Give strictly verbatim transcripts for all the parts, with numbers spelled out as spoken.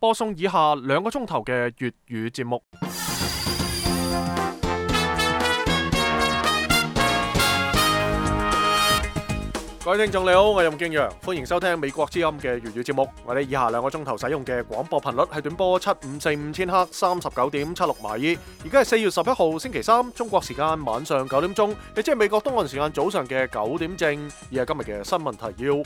播送以下兩個鐘頭嘅粵語節目。各位聽眾你好，我係任敬陽，歡迎收聽美國之音嘅粵語節目。我哋以下兩個鐘頭使用嘅廣播頻率係短波七五四五千赫，三十九點七六馬爾。而家係四月十一號星期三，中國時間晚上九點鐘，亦即係美國東岸時間早上嘅九點正。而係今日嘅新聞提要。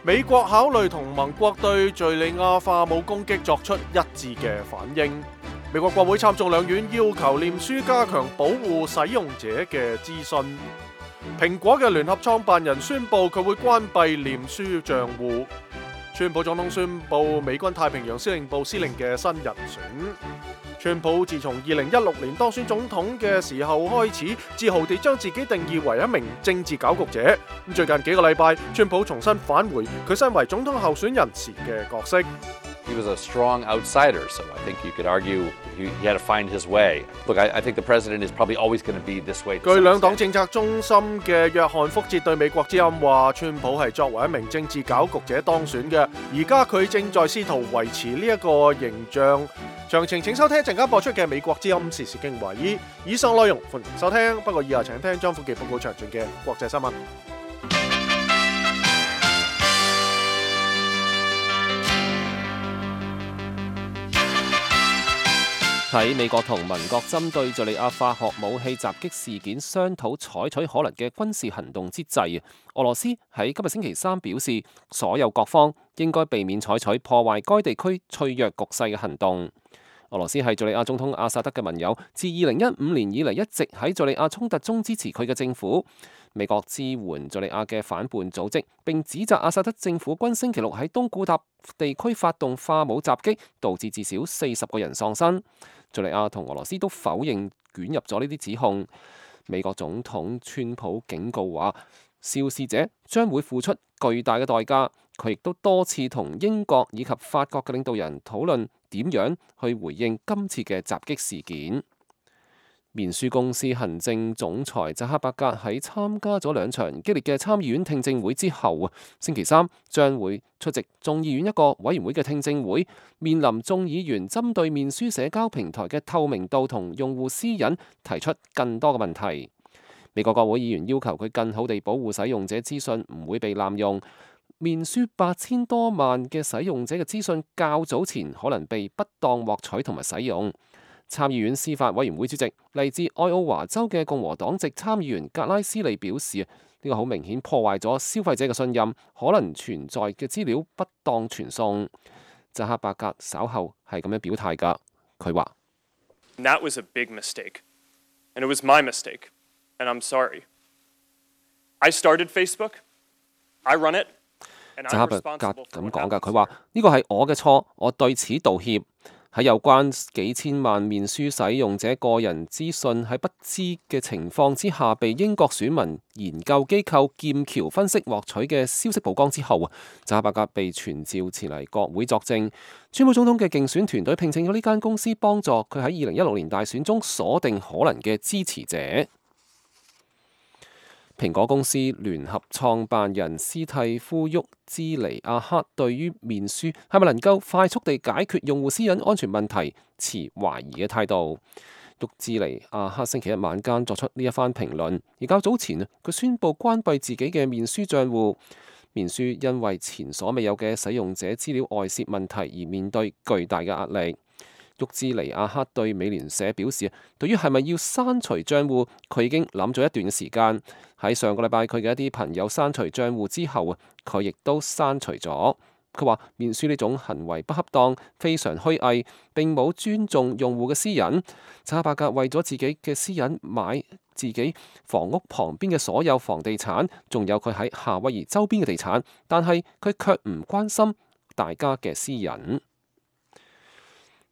美國考慮同盟國對敘利亞化武攻擊作出一致嘅反應。美國國會參眾兩院要求臉書加強保護使用者嘅資訊。蘋果嘅聯合創辦人宣布佢會關閉臉書賬戶。川普總統宣布美軍太平洋司令部司令嘅新人選。川普自從二零一六年當選總統嘅時候開始，自豪地將自己定義為一名政治搞局者。咁最近幾個禮拜，川普重新返回佢身為總統候選人時嘅角色。He was a strong outsider, so I think you could argue he, he had to find his way. Look, I, I think the president is probably always going to be this way. 據兩黨政策中心嘅約翰福哲對美國之音話，川普係作為一名政治搞局者當選嘅，而家佢正在試圖維持呢一個形象。詳情請收聽一陣間播出嘅美國之音時事經華爾。以上內容歡迎收聽，不過以下請聽張富傑報告詳盡嘅國際新聞。喺美國同盟國針對敘利亞化學武器襲擊事件商討採取可能嘅軍事行動之際，俄羅斯喺今日星期三表示，所有各方應該避免採取破壞該地區脆弱局勢嘅行動。俄羅斯係敘利亞總統阿薩德嘅盟友，自二零一五年以嚟一直喺敘利亞衝突中支持佢嘅政府。美國支援敘利亞嘅反叛組織，並指責阿薩德政府軍星期六喺東古塔地區發動化武襲擊，導致至少四十個人喪生。敘利亞同俄羅斯都否認捲入咗呢啲指控。美國總統川普警告話，肇事者將會付出巨大嘅代價。佢亦都多次同英國以及法國嘅領導人討論點樣去回應今次嘅襲擊事件。面書公司行政總裁扎克伯格喺參加咗兩場激烈嘅參議院聽證會之後，星期三將會出席眾議院一個委員會嘅聽證會，面臨眾議員針對面書社交平台嘅透明度同用戶私隱提出更多嘅問題。美國國會議員要求佢更好地保護使用者資訊唔會被濫用。面書八千多萬嘅使用者嘅資訊較早前可能被不當獲取同埋使用。參議院司法委員會主席嚟自愛奧華州嘅共和黨籍參議員格拉斯利表示，呢個好明顯破壞咗消費者嘅信任，可能存在嘅資料不當傳送。扎克伯格稍後係咁樣表態㗎，佢話：That was a big mistake, and it was my mistake, and I'm sorry. I started Facebook, I run it, and I'm responsible for what happens. 扎克伯格咁講㗎，佢話呢個係我嘅錯，我對此道歉。喺有關幾千萬面書使用者個人資訊喺不知嘅情況之下被英國選民研究機構劍橋分析獲取嘅消息曝光之後，扎克伯格被傳召前嚟國會作證。川普總統嘅競選團隊聘請咗呢間公司幫助佢喺二零一六年大選中鎖定可能嘅支持者。蘋果公司聯合創辦人斯蒂夫沃茲尼亞克對於面書係咪能夠快速地解決用戶私隱安全問題持懷疑嘅態度。沃茲尼亞克星期一晚間作出呢一番評論，而較早前佢宣布關閉自己嘅面書賬戶。面書因為前所未有嘅使用者資料外泄問題而面對巨大嘅壓力。沃茲尼亞克對美聯社表示，對於係咪要刪除賬戶，佢已經諗咗一段時間。喺上個禮拜，佢嘅一啲朋友刪除賬戶之後啊，佢亦都刪除咗。佢話面書呢種行為不恰當，非常虛偽，並冇尊重用戶嘅私隱。扎克伯格為咗自己嘅私隱買自己房屋旁邊嘅所有房地產，仲有佢喺夏威夷周邊嘅地產，但係佢卻唔關心大家嘅私隱。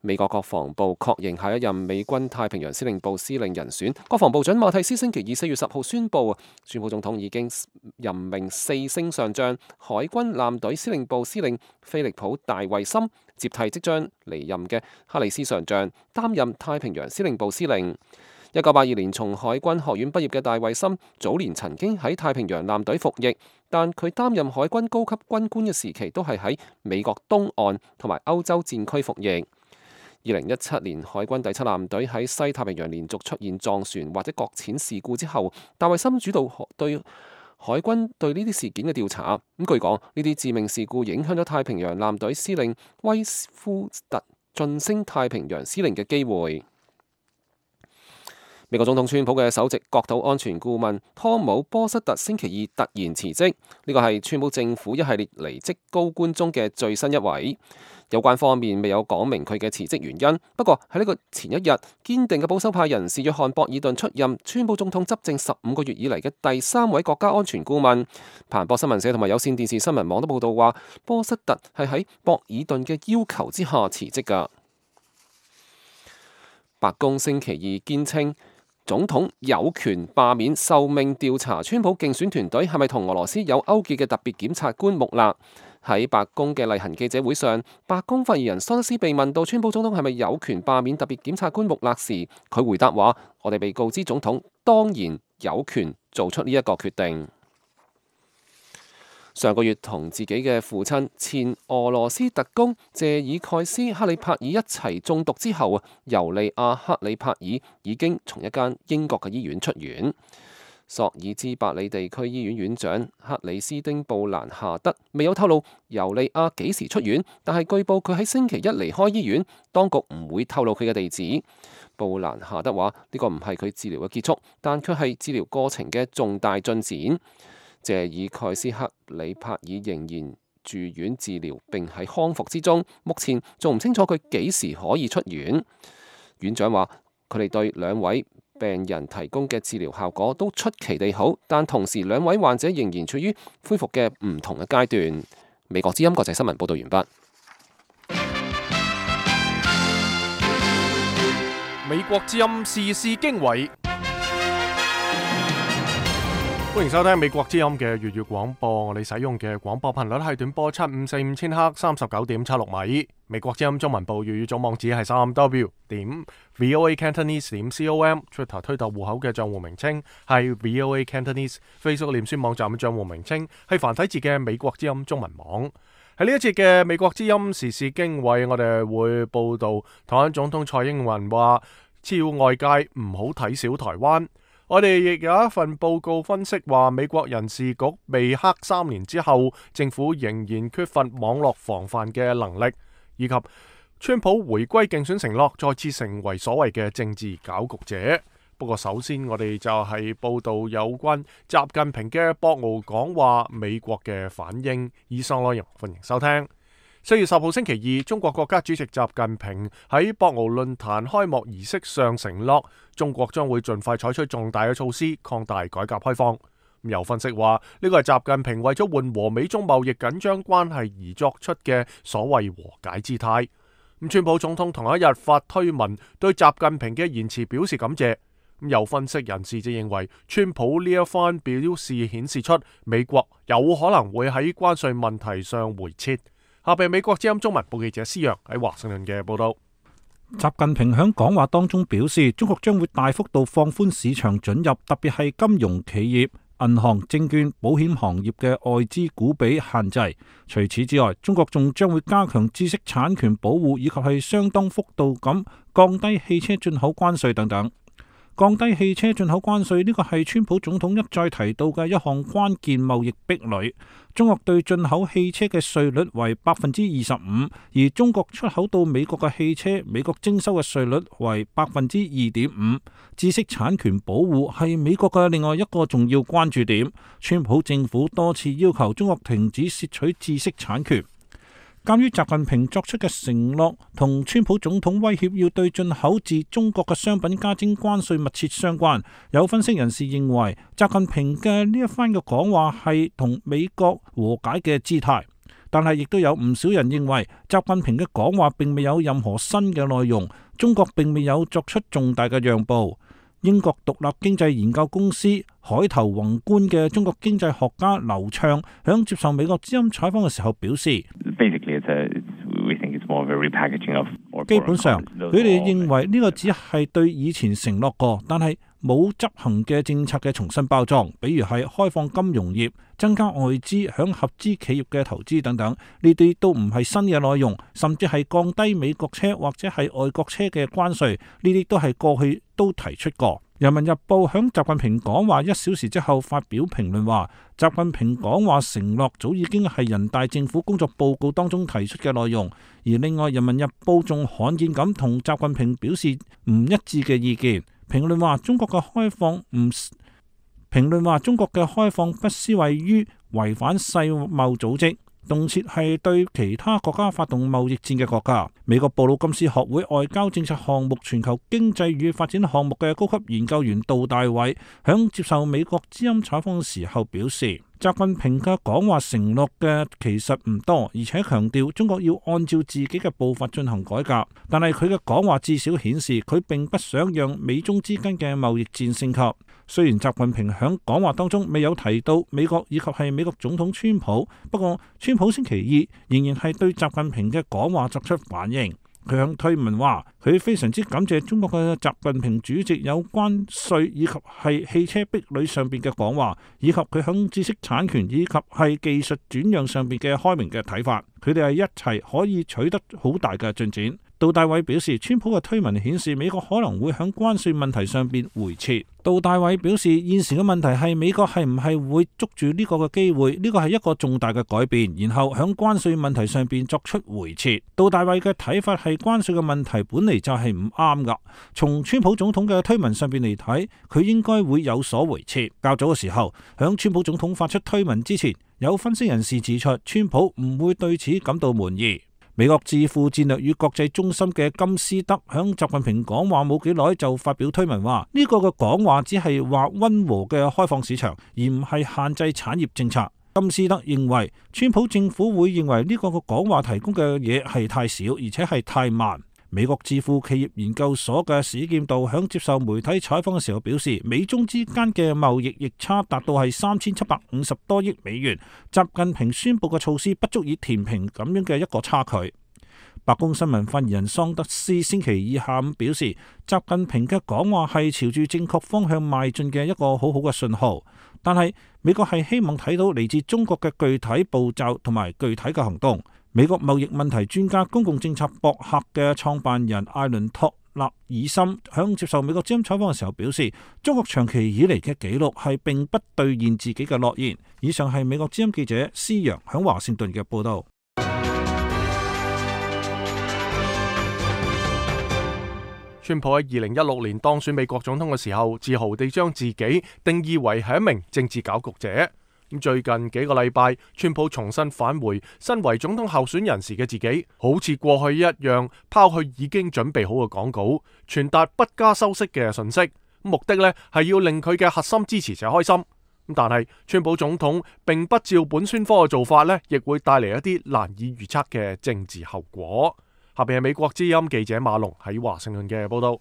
美國國防部確認下一任美軍太平洋司令部司令人選。國防部長馬蒂斯星期二四月十號宣布，川普總統已經任命四星上將海軍艦隊司令部司令菲利普大衛森接替即將離任嘅哈里斯上將，擔任太平洋司令部司令。一九八二年從海軍學院畢業嘅戴維森，早年曾經喺太平洋艦隊服役，但佢擔任海軍高級軍官嘅時期都係喺美國東岸同埋歐洲戰區服役。二零一七年海軍第七艦隊喺西太平洋連續出現撞船或者擱淺事故之後，戴維森主導對海軍對呢啲事件嘅調查。咁據講，呢啲致命事故影響咗太平洋艦隊司令威夫特晉升太平洋司令嘅機會。美國總統川普嘅首席國土安全顧問湯姆波瑟特星期二突然辭職，呢個係川普政府一系列離職高官中嘅最新一位。有關方面未有講明佢嘅辭職原因，不過喺呢個前一日，堅定嘅保守派人士約翰博爾頓出任川普總統執政十五個月以嚟嘅第三位國家安全顧問。彭博新聞社同埋有線電視新聞網都報道話，波瑟特係喺博爾頓嘅要求之下辭職㗎。白宮星期二堅稱，總統有權罷免受命調查川普競選團隊係咪同俄羅斯有勾結嘅特別檢察官穆勒。喺白宮嘅例行記者會上，白宮發言人桑德斯被問到川普總統係咪有權罷免特別檢察官穆勒時，佢回答話：我哋被告知總統當然有權做出呢一個決定。上個月同自己嘅父親前俄羅斯特工謝爾蓋斯克里帕爾一齊中毒之後，尤利亞克里帕爾已經從一間英國嘅醫院出院。索爾茲伯里地區醫院院長克里斯丁布蘭夏德未有透露尤利亞幾時出院，但係據報佢喺星期一離開醫院，當局唔會透露佢嘅地址。布蘭夏德話：呢個唔係佢治療嘅結束，但卻係治療過程嘅重大進展。謝爾蓋斯克里帕爾仍然住院治療並喺康復之中，目前仲唔清楚佢幾時可以出院。院長話：佢哋對兩位病人提供嘅治療效果都出奇地好，但同時兩位患者仍然處於恢復嘅唔同嘅階段。美國之音國際新聞報道完畢。美國之音時事經緯，歡迎收聽美國之音嘅粵語廣播。我哋使用嘅廣播頻率係短波七五四五千赫，三十九點七六米。美國之音中文部粵語總網址係三 w 點 voa cantonese 點 com，Twitter 推特戶口嘅賬戶名稱係 voa cantonese，Facebook 臉書網站嘅賬戶名稱係繁體字嘅美國之音中文網。喺呢一節嘅美國之音時事經緯，我哋會報道台灣總統蔡英文話，只要外界唔好睇小台灣。我哋亦有一份報告分析話，美國人事局被黑三年之後，政府仍然缺乏網絡防範嘅能力，以及川普回歸競選承諾再次成為所謂嘅政治攪局者。不過首先我哋就係報道有關習近平嘅博鰲講話，美國嘅反應。以上內容歡迎收聽。四月十號星期二，中國國家主席習近平喺博鰲論壇開幕儀式上承諾，中國將會盡快採取重大嘅措施，擴大改革開放。有分析話，呢個係習近平為咗緩和美中貿易緊張關係而作出嘅所謂和解姿態。咁川普總統同一日發推文對習近平嘅言辭表示感謝。有分析人士就認為，川普呢一番表示顯示出美國有可能會喺關稅問題上回撤。下邊美國之音中文部記者施陽喺華盛頓嘅報道。習近平喺講話當中表示，中國將會大幅度放寬市場准入，特別係金融企業、銀行、證券、保險行業嘅外資股比限制。除此之外，中國仲將會加強知識產權保護，以及係相當幅度咁降低汽車進口關稅等等。降低汽車進口關稅呢個係川普總統一再提到嘅一項關鍵貿易壁壘。中國對進口汽車嘅稅率為百分之二十五，而中國出口到美國嘅汽車，美國徵收嘅稅率為百分之二點五。知識產權保護係美國嘅另外一個重要關注點。川普政府多次要求中國停止竊取知識產權。鑒於習近平作出嘅承諾同川普總統威脅要對進口自中國嘅商品加徵關稅密切相關，有分析人士認為，習近平嘅呢一番嘅講話係同美國和解嘅姿態，但係亦都有唔少人認為，習近平嘅講話並未有任何新嘅內容，中國並未有作出重大嘅讓步。英國獨立經濟研究公司海頭宏觀嘅中國經濟學家劉暢響接受美國之音採訪嘅時候表示，Basically, it's a, we think it's 基本上，佢哋認為呢個只係對以前承諾過，但係冇執行嘅政策嘅重新包裝，比如係開放金融業、增加外資響合資企業嘅投資等等，呢啲都唔係新嘅內容，甚至係降低美國車或者係外國車嘅關稅，呢啲都係過去都提出過。人民日報響習近平講話一小時之後發表評論話，習近平講話承諾早已經係人大政府工作報告當中提出嘅內容。而另外，人民日報仲罕見咁同習近平表示唔一致嘅意見。評論話中國嘅開放唔評論話中國嘅開放不思位於違反世貿組織，動輒係對其他國家發動貿易戰嘅國家。美國布魯金斯學會外交政策項目全球經濟與發展項目嘅高級研究員杜大偉響接受美國之音採訪嘅時候表示，習近平嘅講話承諾嘅其實唔多，而且強調中國要按照自己嘅步伐進行改革。但係佢嘅講話至少顯示佢並不想讓美中之間嘅貿易戰升級。雖然習近平響講話當中未有提到美國以及係美國總統川普，不過川普星期二仍然係對習近平嘅講話作出反應。佢向推文話，佢非常之感謝中國嘅習近平主席有關稅以及係汽車壁壘上邊嘅講話，以及佢響知識產權以及係技術轉讓上邊嘅開明嘅睇法。佢哋係一齊可以取得好大嘅進展。杜大偉表示，川普嘅推文顯示美國可能會響關稅問題上邊回撤。杜大偉表示，現時嘅問題係美國係唔係會捉住呢個嘅機會，呢個係一個重大嘅改變，然後響關稅問題上邊作出回撤。杜大偉嘅睇法係關稅嘅問題本嚟就係唔啱噶，從川普總統嘅推文上邊嚟睇，佢應該會有所回撤。較早嘅時候，響川普總統發出推文之前，有分析人士指出，川普唔會對此感到滿意。美國智庫戰略與國際中心嘅金斯德響習近平講話冇幾耐就發表推文話，呢個嘅講話只係話溫和嘅開放市場，而唔係限制產業政策。金斯德認為，川普政府會認為呢個嘅講話提供嘅嘢係太少，而且係太慢。美國智庫企業研究所嘅史劍道響接受媒體採訪嘅時候表示，美中之間嘅貿易逆差達到係三千七百五十多億美元，習近平宣布嘅措施不足以填平咁樣嘅一個差距。白宮新聞發言人桑德斯星期二下午表示，習近平嘅講話係朝住正確方向邁進嘅一個好好嘅信號，但係美國係希望睇到嚟自中國嘅具體步驟同埋具體嘅行動。美國貿易問題專家公共政策博客嘅創辦人艾倫托納爾森響接受美國之音採訪嘅時候表示，中國長期以嚟嘅紀錄係並不兌現自己嘅諾言。以上係美國之音記者施陽響華盛頓嘅報道。川普喺二零一六年當選美國總統嘅時候，自豪地將自己定義為係一名政治攪局者。咁最近幾個禮拜，川普重新返回身為總統候選人時嘅自己，好似過去一樣拋去已經準備好嘅講稿，傳達不加修飾嘅信息，目的呢係要令佢嘅核心支持者開心。但係川普總統並不照本宣科嘅做法呢，亦會帶嚟一啲難以預測嘅政治後果。下邊係美國之音記者馬龍喺華盛頓嘅報道。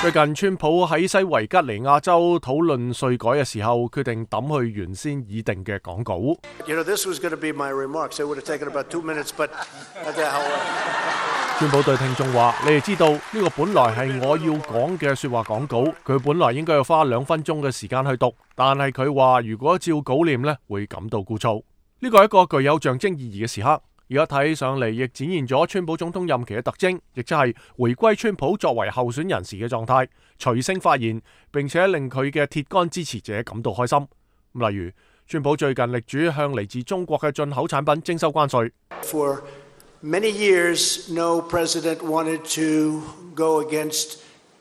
最近川普喺西維吉尼亞州討論稅改嘅時候，決定抌去原先擬定嘅講稿。You know, this was going to be my remarks. It would have taken about two minutes, but okay, how... 川普對聽眾話：你哋知道呢個本來係我要講嘅說話講稿，佢本來應該要花兩分鐘嘅時間去讀，但係佢話如果照稿念呢，會感到枯燥。呢個係一個具有象徵意義嘅時刻。而家睇上嚟，亦展現咗川普總統任期嘅特徵，亦即係回歸川普作為候選人時嘅狀態，隨性發言，並且令佢嘅鐵桿支持者感到開心。例如，川普最近力主向嚟自中國嘅進口產品徵收關稅。For many years, no president wanted to go against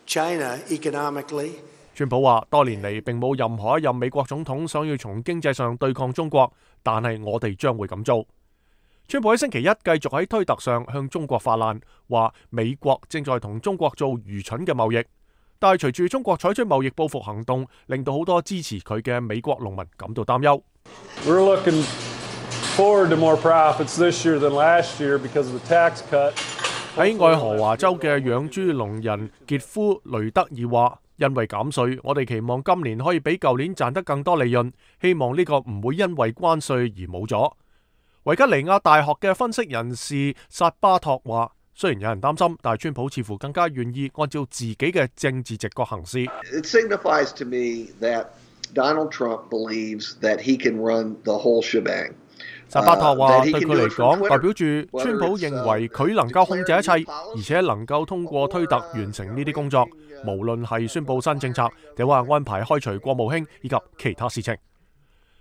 China economically. 川普話：多年嚟並冇任何一任美國總統想要從經濟上對抗中國，但係我哋將會咁做。川普喺星期一繼續喺推特上向中國發難，話美國正在同中國做愚蠢嘅貿易，但係隨住中國採取貿易報復行動，令到好多支持佢嘅美國農民感到擔憂。We're looking forward to more profits this year than last year because of the tax cut. 喺愛荷華州嘅養豬農人傑夫雷德爾話：因為減稅，我哋期望今年可以比舊年賺得更多利潤，希望呢個唔會因為關稅而冇咗。維吉尼亞大學嘅分析人士薩巴托話，雖然有人擔心，但係川普似乎更加願意按照自己嘅政治直覺行事。It signifies to me that Donald Trump believes that he can run the whole shebang. 薩巴托話，對佢嚟講，代表住川普認為佢能夠控制一切，而且能夠通過推特完成呢啲工作，無論係宣佈新政策，定或係安排開除國務卿以及其他事情。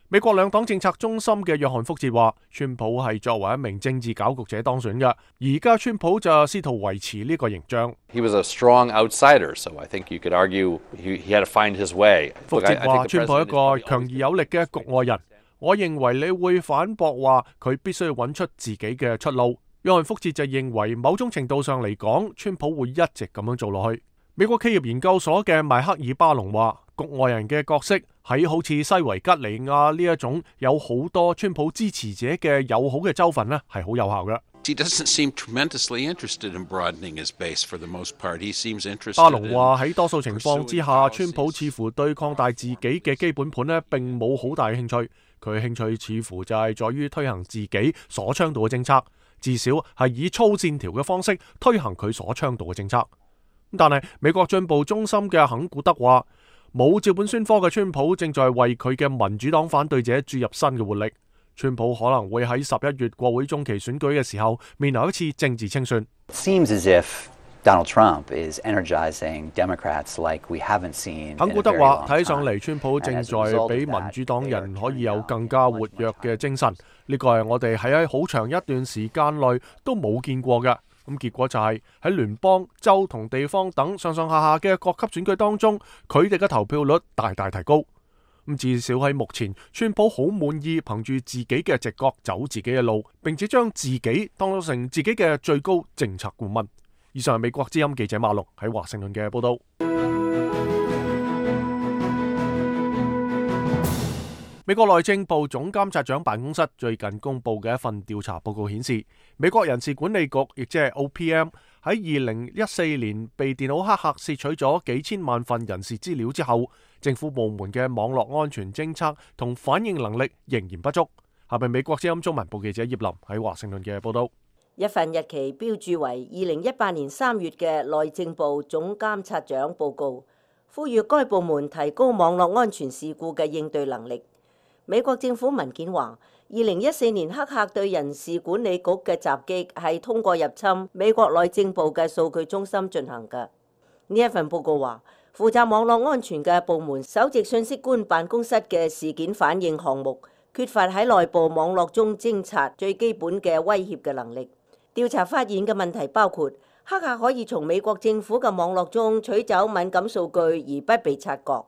美國兩黨政策中心嘅約翰福哲話，川普係作為一名政治攪局者當選嘅，而家川普就試圖維持呢個形象。He was a strong outsider, so I think you could argue he, he had to find his way. 福哲話，川普係一個強而有力嘅局外人。我認為你會反駁話佢必須要揾出自己嘅出路。約翰福哲就認為某種程度上嚟講，川普會一直咁樣做落去。美國企業研究所嘅邁克爾巴隆話，局外人嘅角色喺好似西維吉尼亞呢一種有好多川普支持者嘅友好嘅州份呢，係好有效嘅。He doesn't seem tremendously interested in broadening his base for the most part. He seems interested. 巴隆話喺多數情況之下，川普似乎對擴大自己嘅基本盤呢並冇好大興趣。佢嘅興趣似乎就係在於推行自己所倡導嘅政策，至少係以粗線條嘅方式推行佢所倡導嘅政策。但係美國進步中心嘅肯古德話，冇照本宣科嘅川普正在為佢嘅民主黨反對者注入新嘅活力。川普可能會喺十一月國會中期選舉嘅時候面臨一次政治清算。Seems as if Donald Trump is energizing Democrats like we haven't seen. 肯古德話，睇上嚟川普正在俾民主黨人可以有更加活躍嘅精神，呢個係我哋喺好長一段時間內都冇見過嘅。咁結果就係喺聯邦、州同地方等上上下下嘅各級選舉當中，佢哋嘅投票率大大提高。咁至少喺目前，川普好滿意憑住自己嘅直覺走自己嘅路，並且將自己當成自己嘅最高政策顧問。以上係美國之音記者馬龍喺華盛頓嘅報道。美國內政部總監察長辦公室最近公布嘅一份調查報告顯示，美國人事管理局亦即係 O P M 喺二零一四年被電腦黑客竊取咗幾千萬份人事資料之後，政府部門嘅網絡安全偵測同反應能力仍然不足。下邊美國之音中文部記者葉林喺華盛頓嘅報道。一份日期標註為二零一八年三月嘅內政部總監察長報告，呼籲該部門提高網絡安全事故嘅應對能力。美國政府文件話，二零一四年黑客對人事管理局嘅襲擊係通過入侵美國內政部嘅數據中心進行嘅。呢一份報告話，負責網絡安全嘅部門首席信息官辦公室嘅事件反應項目缺乏喺內部網絡中偵察最基本嘅威脅嘅能力。調查發現嘅問題包括，黑客可以從美國政府嘅網絡中取走敏感數據而不被察覺。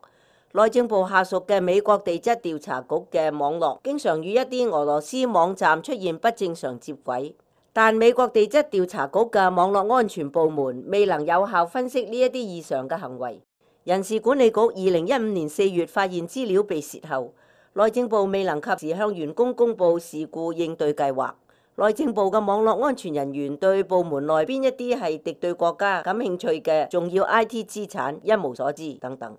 內政部下屬嘅美國地質調查局嘅網絡經常與一啲俄羅斯網站出現不正常接軌，但美國地質調查局嘅網絡安全部門未能有效分析呢一啲異常嘅行為。人事管理局二零一五年四月發現資料被洩後，內政部未能及時向員工公佈事故應對計劃。內政部嘅網絡安全人員對部門內邊一啲係敵對國家感興趣嘅重要 I T 資產一無所知等等。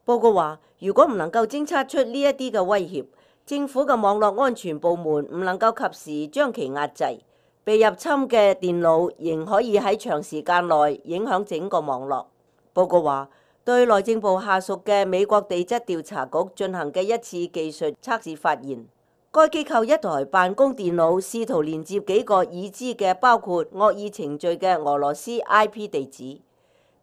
報告話，如果唔能夠偵測出呢一啲嘅威脅，政府嘅網絡安全部門唔能夠及時將其壓制，被入侵嘅電腦仍可以喺長時間內影響整個網絡。報告話，對內政部下屬嘅美國地質調查局進行嘅一次技術測試發現，該機構一台辦公電腦試圖連接幾個已知嘅包括惡意程序嘅俄羅斯 I P 地址。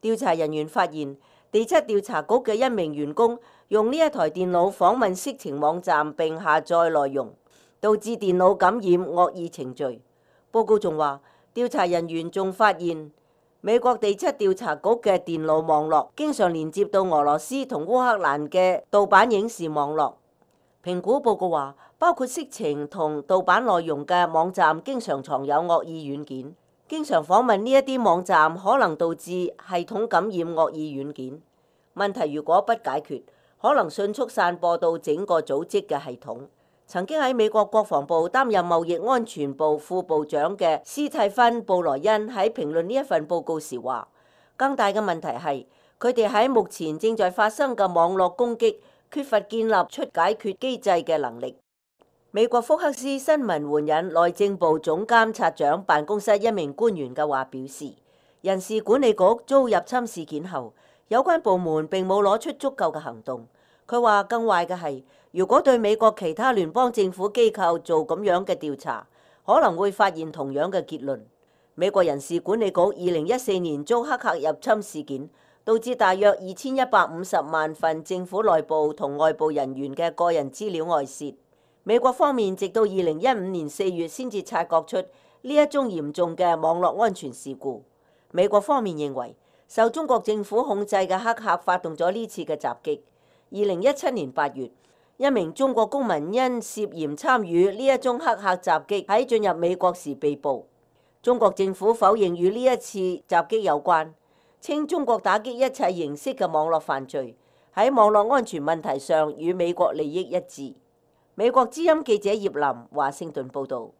調查人員發現，地質調查局嘅一名員工用呢一台電腦訪問色情網站並下載內容，導致電腦感染惡意程序。報告仲話，調查人員仲發現美國地質調查局嘅電腦網絡經常連接到俄羅斯同烏克蘭嘅盜版影視網絡。評估報告話，包括色情同盜版內容嘅網站經常藏有惡意軟件。經常訪問呢一啲網站可能導致系統感染惡意軟件。問題如果不解決，可能迅速散播到整個組織嘅系統。曾經喺美國國防部擔任貿易安全部副部長嘅斯蒂芬·布萊恩喺評論呢一份報告時話，更大嘅問題係佢哋喺目前正在發生嘅網絡攻擊缺乏建立出解決機制嘅能力。美國福克斯新聞援引內政部總監察長辦公室一名官員嘅話表示，人事管理局遭入侵事件後，有關部門並冇攞出足夠嘅行動。佢話更壞嘅係，如果對美國其他聯邦政府機構做咁樣嘅調查，可能會發現同樣嘅結論。美國人事管理局二零一四年遭黑客入侵事件，導致大約二千一百五十萬份政府內部同外部人員嘅個人資料外泄。美國方面直到二零一五年四月先至察覺出呢一宗嚴重嘅網絡安全事故。美國方面認為，受中國政府控制嘅黑客發動咗呢次嘅襲擊。二零一七年八月，一名中國公民因涉嫌參與呢一宗黑客襲擊喺進入美國時被捕。中國政府否認與呢一次襲擊有關，稱中國打擊一切形式嘅網絡犯罪，喺網絡安全問題上與美國利益一致。美國之音記者葉林華盛頓報導。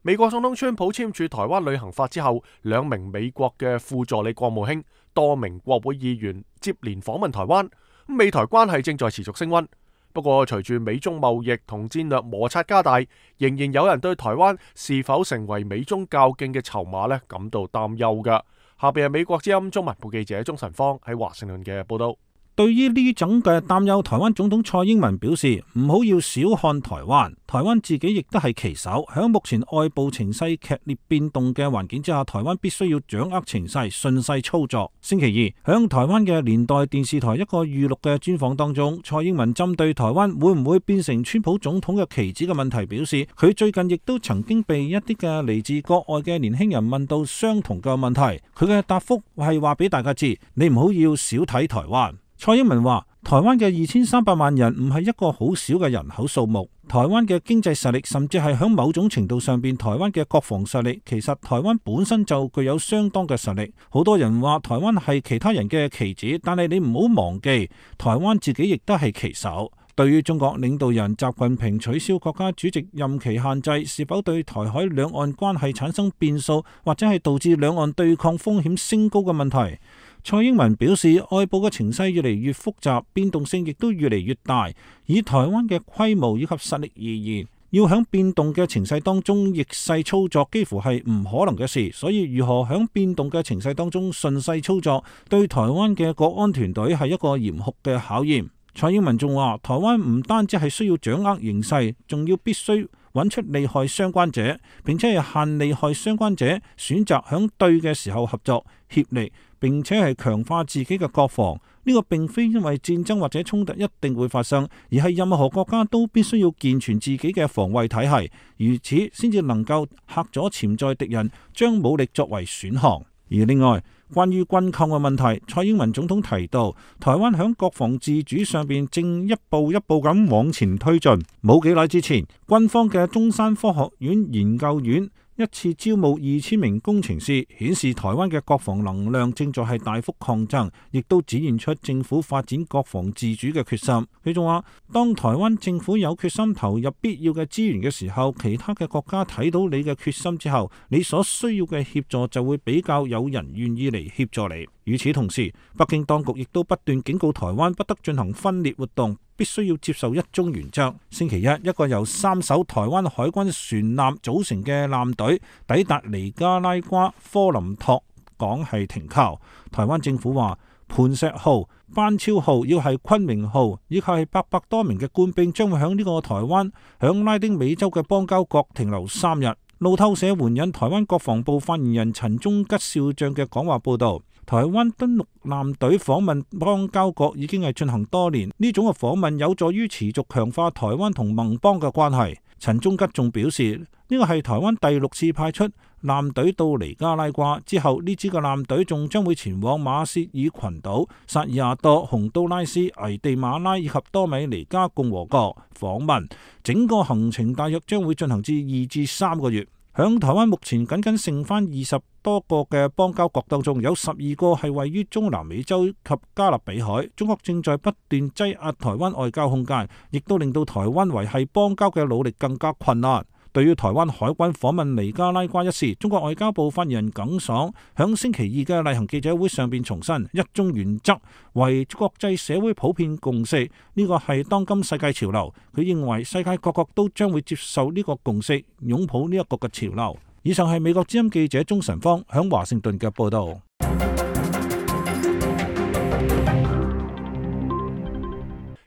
美國總統川普簽署台灣旅行法之後，兩名美國嘅副助理國務卿、多名國會議員接連訪問台灣，美台關係正在持續升溫。不過，隨住美中貿易同戰略摩擦加大，仍然有人對台灣是否成為美中較勁嘅籌碼呢感到擔憂㗎。下邊係美國之音中文部記者鍾晨芳喺華盛頓嘅報道。對於呢種嘅擔憂，台灣總統蔡英文表示唔好要小看台灣，台灣自己亦都係棋手。響目前外部情勢劇烈變動嘅環境之下，台灣必須要掌握情勢，順勢操作。星期二，響台灣嘅年代電視台一個預錄嘅專訪當中，蔡英文針對台灣會唔會變成川普總統嘅棋子嘅問題表示，佢最近亦都曾經被一啲嘅嚟自國外嘅年輕人問到相同嘅問題，佢嘅答覆係話俾大家知，你唔好要少睇台灣。蔡英文話：台灣嘅二千三百萬人唔係一個好少嘅人口數目，台灣嘅經濟實力，甚至係響某種程度上邊，台灣嘅國防實力，其實台灣本身就具有相當嘅實力。好多人話台灣係其他人嘅棋子，但係你唔好忘記，台灣自己亦都係棋手。對於中國領導人習近平取消國家主席任期限制，是否對台海兩岸關係產生變數，或者係導致兩岸對抗風險升高嘅問題？蔡英文表示，外部嘅情勢越嚟越複雜，變動性亦都越嚟越大。以台灣嘅規模以及實力而言，要響變動嘅情勢當中逆勢操作，幾乎係唔可能嘅事。所以，如何響變動嘅情勢當中順勢操作，對台灣嘅國安團隊係一個嚴酷嘅考驗。蔡英文仲話，台灣唔單止係需要掌握形勢，仲要必須揾出利害相關者，並且係限利害相關者選擇響對嘅時候合作協力，並且係強化自己嘅國防。呢個並非因為戰爭或者衝突一定會發生，而係任何國家都必須要健全自己嘅防衛體系，如此先至能夠嚇阻潛在敵人將武力作為選項。而另外，關於軍購嘅問題，蔡英文總統提到，台灣響國防自主上邊正一步一步咁往前推進。冇幾耐之前，軍方嘅中山科學院研究院一次招募二千名工程師，顯示台灣嘅國防能量正在係大幅擴增，亦都展現出政府發展國防自主嘅決心。佢仲話，當台灣政府有決心投入必要嘅資源嘅時候，其他嘅國家睇到你嘅決心之後，你所需要嘅協助就會比較有人願意嚟協助你。與此同時，北京當局亦都不斷警告台灣不得進行分裂活動，必須要接受一中原則。星期一，一個由三艘台灣海軍船艦組成嘅艦隊抵達尼加拉瓜科林托港係停靠。台灣政府話，磐石號、班超號，要係昆明號，以及係八百多名嘅官兵將會響呢個台灣響拉丁美洲嘅邦交國停留三日。路透社援引台灣國防部發言人陳忠吉少將嘅講話報道，台灣登陸艦隊訪問邦交國已經係進行多年，呢種嘅訪問有助於持續強化台灣同盟邦嘅關係。陳忠吉仲表示，呢個係台灣第六次派出艦隊到尼加拉瓜，之後呢支嘅艦隊仲將會前往馬歇爾群島、薩爾瓦多、洪都拉斯、危地馬拉以及多米尼加共和國訪問，整個行程大約將會進行至二至三個月。響台灣目前僅僅剩翻二十多個嘅邦交國當中，有十二個係位於中南美洲及加勒比海。中國正在不斷擠壓台灣外交空間，亦都令到台灣維繫邦交嘅努力更加困難。對於台灣海軍訪問尼加拉瓜一事，中國外交部發言人耿爽響星期二嘅例行記者會上邊重申，一中原則為國際社會普遍共識，呢個係當今世界潮流。佢認為世界各國都將會接受呢個共識，擁抱呢一個嘅潮流。以上係美國之音記者鍾晨芳響華盛頓嘅報道。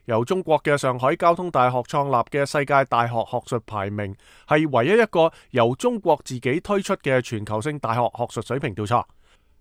由中國嘅上海交通大學創立嘅世界大學學術排名，係唯一一個由中國自己推出嘅全球性大學學術水平調查。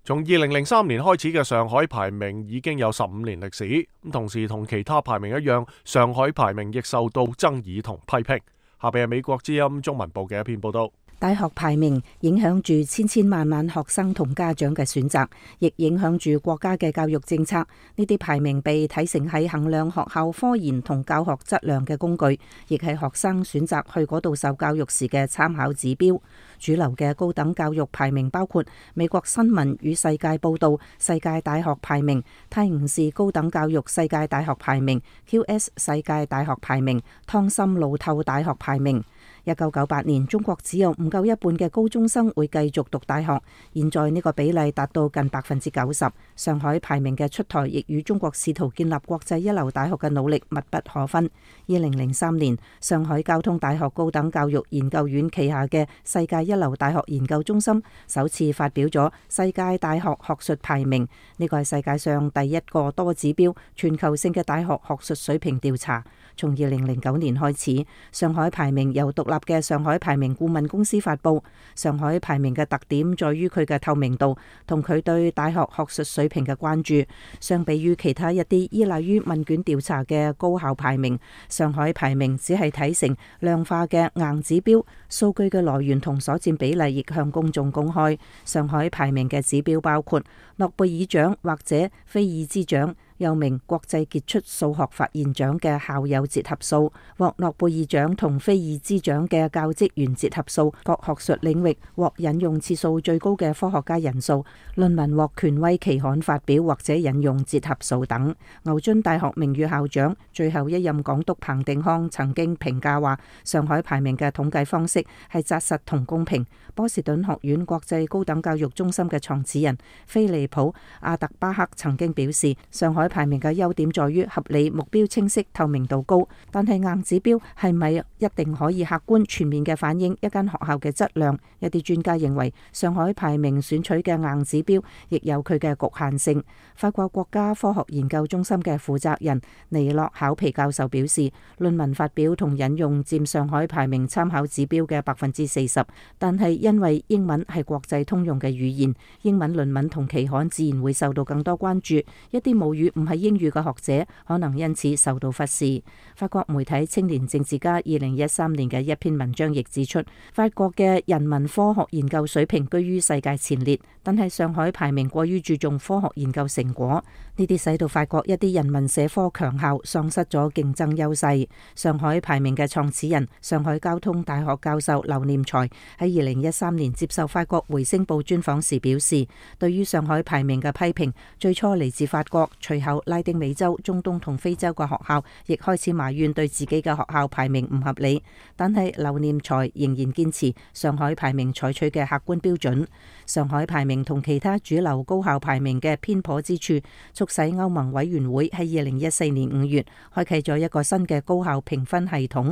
從二零零三年開始嘅上海排名已經有十五年歷史，咁同時同其他排名一樣，上海排名亦受到爭議同批評。下邊係美國之音中文部嘅一篇報道。大學排名影響住千千萬萬學生同家長嘅選擇，亦影響住國家嘅教育政策。呢啲排名被睇成係衡量學校科研同教學質量嘅工具，亦係學生選擇去嗰度受教育時嘅參考指標。主流嘅高等教育排名包括美國新聞與世界報道世界大學排名、泰晤士高等教育世界大學排名、Q S 世界大學排名、湯森路透大學排名。一九九八年，中國只有唔夠一半嘅高中生會繼續讀大學，現在呢個比例達到近百分之九十。上海排名嘅出台，亦與中國試圖建立國際一流大學嘅努力密不可分。二零零三年，上海交通大學高等教育研究院旗下嘅世界一流大學研究中心首次發表咗世界大學學術排名，呢個係世界上第一個多指標全球性嘅大學學術水平調查。從二零零九年開始，上海排名由獨立嘅上海排名顧問公司發布。上海排名嘅特點在於佢嘅透明度同佢對大學學術水平嘅關注。相比於其他一啲依賴於問卷調查嘅高校排名，上海排名只係睇成量化嘅硬指標，數據嘅來源同所佔比例亦向公眾公開。上海排名嘅指標包括諾貝爾獎或者菲爾茲獎，又名國際傑出數學發現獎嘅校友折合數，獲諾貝爾獎同菲爾茲獎嘅教職員折合數，各學術領域獲引用次數最高嘅科學家人數，論文獲權威期刊發表或者引用折合數等。牛津大學名譽校長、最後一任港督彭定康曾經評價話，上海排名嘅統計方式係紮實同公平。波士頓學院國際高等教育中心嘅創始人菲利普·阿特巴克曾經表示，上海排名嘅優點在於合理、目標清晰、透明度高，但係硬指標係咪一定可以客觀全面嘅反映一間學校嘅質量？一啲專家認為，上海排名選取嘅硬指標亦有佢嘅局限性。法國國家科學研究中心嘅負責人尼洛考皮教授表示，論文發表同引用佔上海排名參考指標嘅百分之四十，但係因為英文係國際通用嘅語言，英文論文同期刊自然會受到更多關注。一啲母語唔係英語嘅學者可能因此受到忽視。法國媒體青年政治家二零一三年嘅一篇文章亦指出，法國嘅人文科學研究水平居於世界前列，但係上海排名過於注重科學研究成果，呢啲使到法國一啲人文社科強校喪失咗競爭優勢。上海排名嘅創始人、上海交通大學教授劉念才喺二零一三年接受法國回聲報專訪時表示，對於上海排名嘅批評最初嚟自法國，隨後拉丁美洲、中東同非洲嘅學校亦開始埋怨對自己嘅學校排名唔合理，但係劉念才仍然堅持上海排名採取嘅客觀標準。上海排名同其他主流高校排名嘅偏頗之處，促使歐盟委員會喺二零一四年五月開啟咗一個新嘅高校評分系統。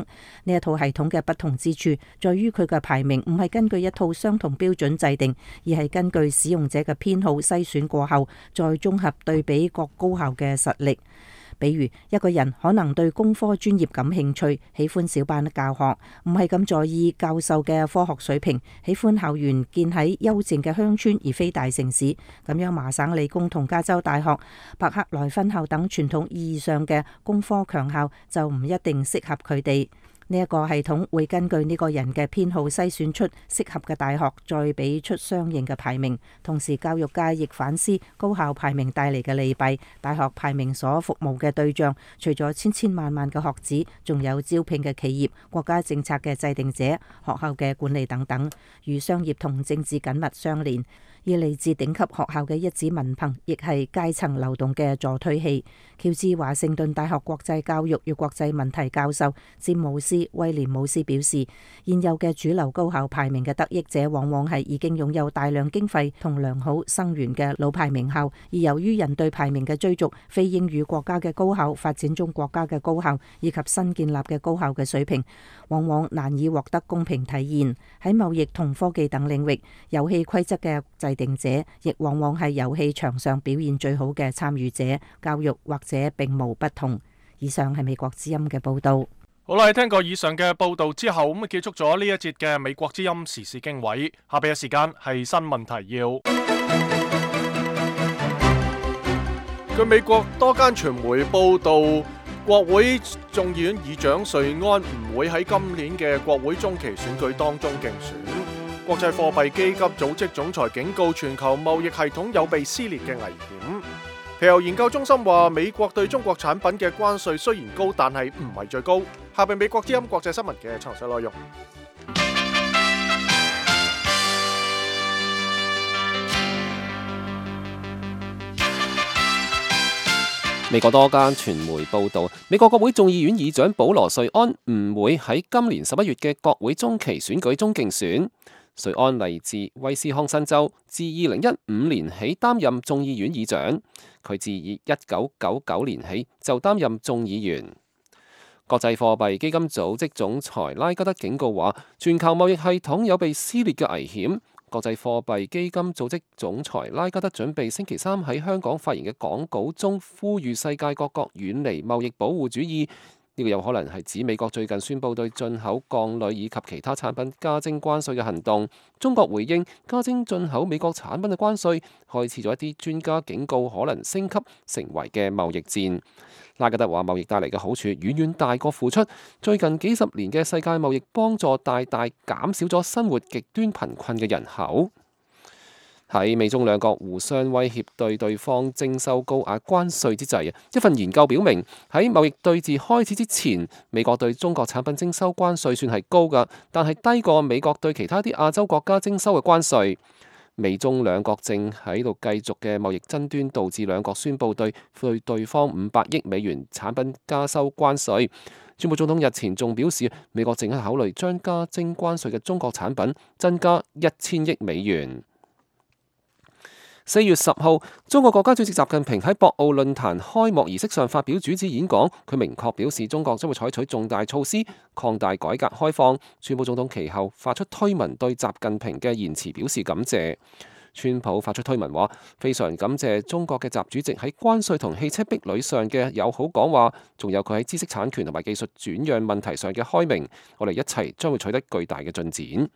呢一套系統嘅不同之處在於佢嘅排名唔係根據一套相同標準制定，而係根據使用者嘅偏好篩選過後，再綜合對比各高校嘅實力。比如一個人可能對工科專業感興趣，喜歡小班教學，唔係咁在意教授嘅科學水平，喜歡校園建喺幽靜嘅鄉村而非大城市。咁樣麻省理工同加州大學、伯克萊分校等傳統意義上嘅工科強校就唔一定適合佢哋。呢一個系統會根據呢個人嘅偏好篩選出適合嘅大學，再俾出相應嘅排名。同時，教育界亦反思高校排名帶嚟嘅利弊。大學排名所服務嘅對象，除咗千千萬萬嘅學子，仲有招聘嘅企業、國家政策嘅制定者、學校嘅管理等等，與商業同政治緊密相連。而嚟自頂級學校嘅一紙文憑，亦係階層流動嘅助推器。喬治華盛頓大學國際教育與國際問題教授詹姆斯威廉姆斯表示，現有嘅主流高考排名嘅得益者，往往係已經擁有大量經費同良好生源嘅老牌名校，而由於人對排名嘅追逐，非英語國家嘅高考、發展中國家嘅高校以及新建立嘅高校嘅水平，往往難以獲得公平體現。喺貿易同科技等領域，遊戲規則嘅制定者亦往往係遊戲場上表現最好嘅參與者。教育或者並無不同。以上係美國之音嘅報道。好啦，聽過以上嘅報道之後，咁啊結束咗呢一節嘅美國之音時事經緯。下邊嘅時間係新聞提要。據美國多間傳媒報道，國會眾議院議長瑞安唔會喺今年嘅國會中期選舉當中競選。國際貨幣基金組織總裁警告全球貿易系統有被撕裂嘅危險。皮尤研究中心話，美國對中國產品嘅關稅雖然高，但係唔係最高。下邊美國之音國際新聞嘅詳細內容。美國多間傳媒報道，美國國會眾議院議長保羅瑞安唔會喺今年十一月嘅國會中期選舉中競選。瑞安嚟自威斯康辛州，自二零一五年起擔任眾議院議長。佢自一九九九年起就擔任眾議員。國際貨幣基金組織總裁拉加德警告話，全球貿易系統有被撕裂嘅危險。國際貨幣基金組織總裁拉加德準備星期三喺香港發言嘅講稿中，呼籲世界各國遠離貿易保護主義。呢個有可能係指美國最近宣布對進口鋼鋁以及其他產品加徵關稅嘅行動。中國回應加徵進口美國產品嘅關稅，開始咗一啲專家警告可能升級成為嘅貿易戰。拉加德話，貿易帶嚟嘅好處遠遠大過付出。最近幾十年嘅世界貿易幫助大大減少咗生活極端貧困嘅人口。喺美中兩國互相威脅對對方徵收高額關稅之際，一份研究表明喺貿易對峙開始之前，美國對中國產品徵收關稅算係高㗎，但係低過美國對其他啲亞洲國家徵收嘅關稅。美中兩國正喺度繼續嘅貿易爭端，導致兩國宣布對對對方五百億美元產品加收關稅。川普總統日前仲表示，美國正喺考慮將加徵關稅嘅中國產品增加一千億美元。四月十號，中國國家主席習近平喺博鰲論壇開幕儀式上發表主旨演講，佢明確表示中國將會採取重大措施擴大改革開放。川普總統其後發出推文對習近平嘅言辭表示感謝。川普發出推文話，非常感謝中國嘅習主席喺關稅同汽車壁壘上嘅友好講話，仲有佢喺知識產權同埋技術轉讓問題上嘅開明，我哋一齊將會取得巨大嘅進展。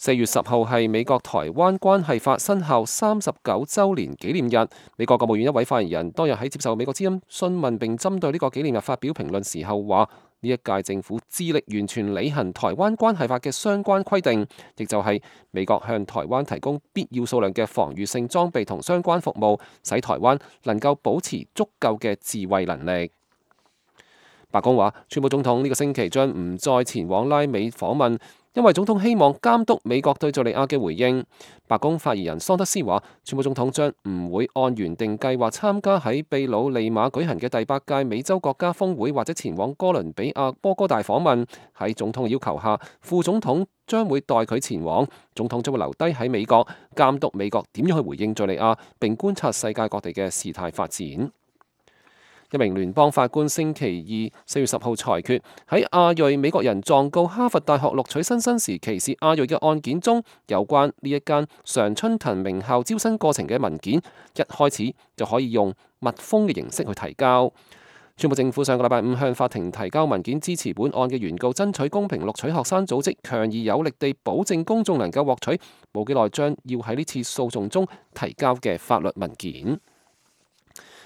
四月十號係美國台灣關係法生效三十九週年紀念日。美國國務院一位發言人當日喺接受美國之音詢問並針對呢個紀念日發表評論時候話，呢一屆政府致力完全履行台灣關係法嘅相關規定，亦就係美國向台灣提供必要數量嘅防禦性裝備同相關服務，使台灣能夠保持足夠嘅自衛能力。白宮話，川普總統呢個星期將唔再前往拉美訪問，因為總統希望監督美國對敘利亞嘅回應。白宮發言人桑德斯話，川普總統將唔會按原定計劃參加喺秘魯利馬舉行嘅第八屆美洲國家峰會，或者前往哥倫比亞波哥大訪問。喺總統要求下，副總統將會代佢前往，總統將會留低喺美國監督美國點樣去回應敘利亞，並觀察世界各地嘅事態發展。一名聯邦法官星期二四月十號裁決，喺亞裔美國人狀告哈佛大學錄取新生時歧視亞裔嘅案件中，有關呢一間常春藤名校招生過程嘅文件，一開始就可以用密封嘅形式去提交。川普政府上個禮拜五向法庭提交文件支持本案嘅原告爭取公平錄取學生組織強而有力地保證公眾能夠獲取冇幾耐將要喺呢次訴訟中提交嘅法律文件。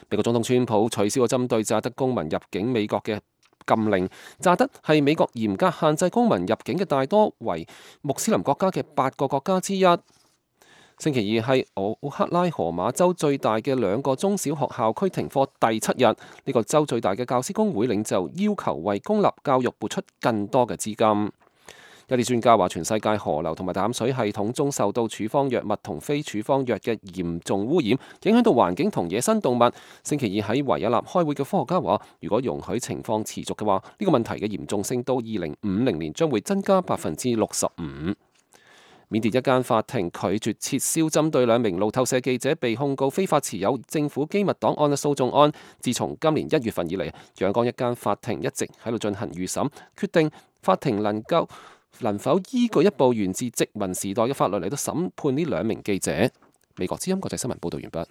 美國總統川普取消咗針對乍得公民入境美國嘅禁令。乍得係美國嚴格限制公民入境嘅大多為穆斯林國家嘅八個國家之一。星期二係奧克拉荷馬州最大嘅兩個中小學校區停課第七日，呢、這個州最大嘅教師工會領袖要求為公立教育撥出更多嘅資金。一啲專家話，全世界河流同埋淡水系統中受到處方藥物同非處方藥嘅嚴重污染，影響到環境同野生動物。星期二喺維也納開會嘅科學家話，如果容許情況持續嘅話，呢個問題嘅嚴重性到二零五零年將會增加百分之六十五。緬甸一間法庭拒絕撤銷針對兩名路透社記者被控告非法持有政府機密檔案嘅訴訟案。自從今年一月份以嚟，仰光一間法庭一直喺度進行預審，決定法庭能夠能否依據一部源自殖民時代嘅法律嚟到審判呢兩名記者。美國之音國際新聞報道完畢。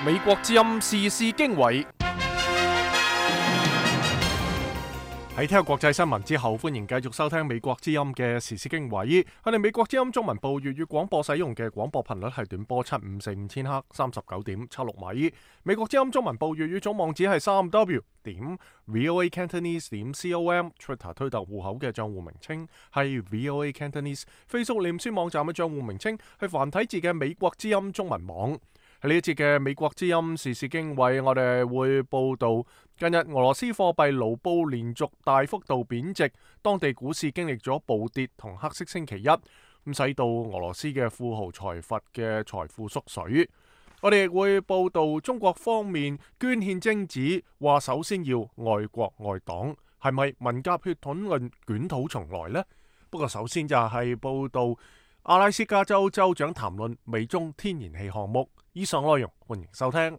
美國之音時事經緯。喺聽國際新聞之後，歡迎繼續收聽美國之音嘅時事經緯。我哋美國之音中文部粵語廣播使用嘅廣播頻率係短波七五四五千赫，三十九點七六米。美國之音中文部粵語總網址係三 w 點 voa cantonese 點 com。Twitter 推特戶口嘅賬戶名稱係 voa cantonese。Facebook 臉書網站嘅賬戶名稱係繁體字嘅美國之音中文網。喺呢一節嘅美國之音時事經緯，我哋會報道近日俄羅斯貨幣盧布連續大幅度貶值，當地股市經歷咗暴跌同黑色星期一，咁使到俄羅斯嘅富豪財閥嘅財富縮水。我哋亦會報道中國方面捐獻精子，話首先要愛國愛黨，係咪文革血統論捲土重來呢？不過首先就係報道阿拉斯加州州長談論美中天然氣項目。以上內容歡迎收聽。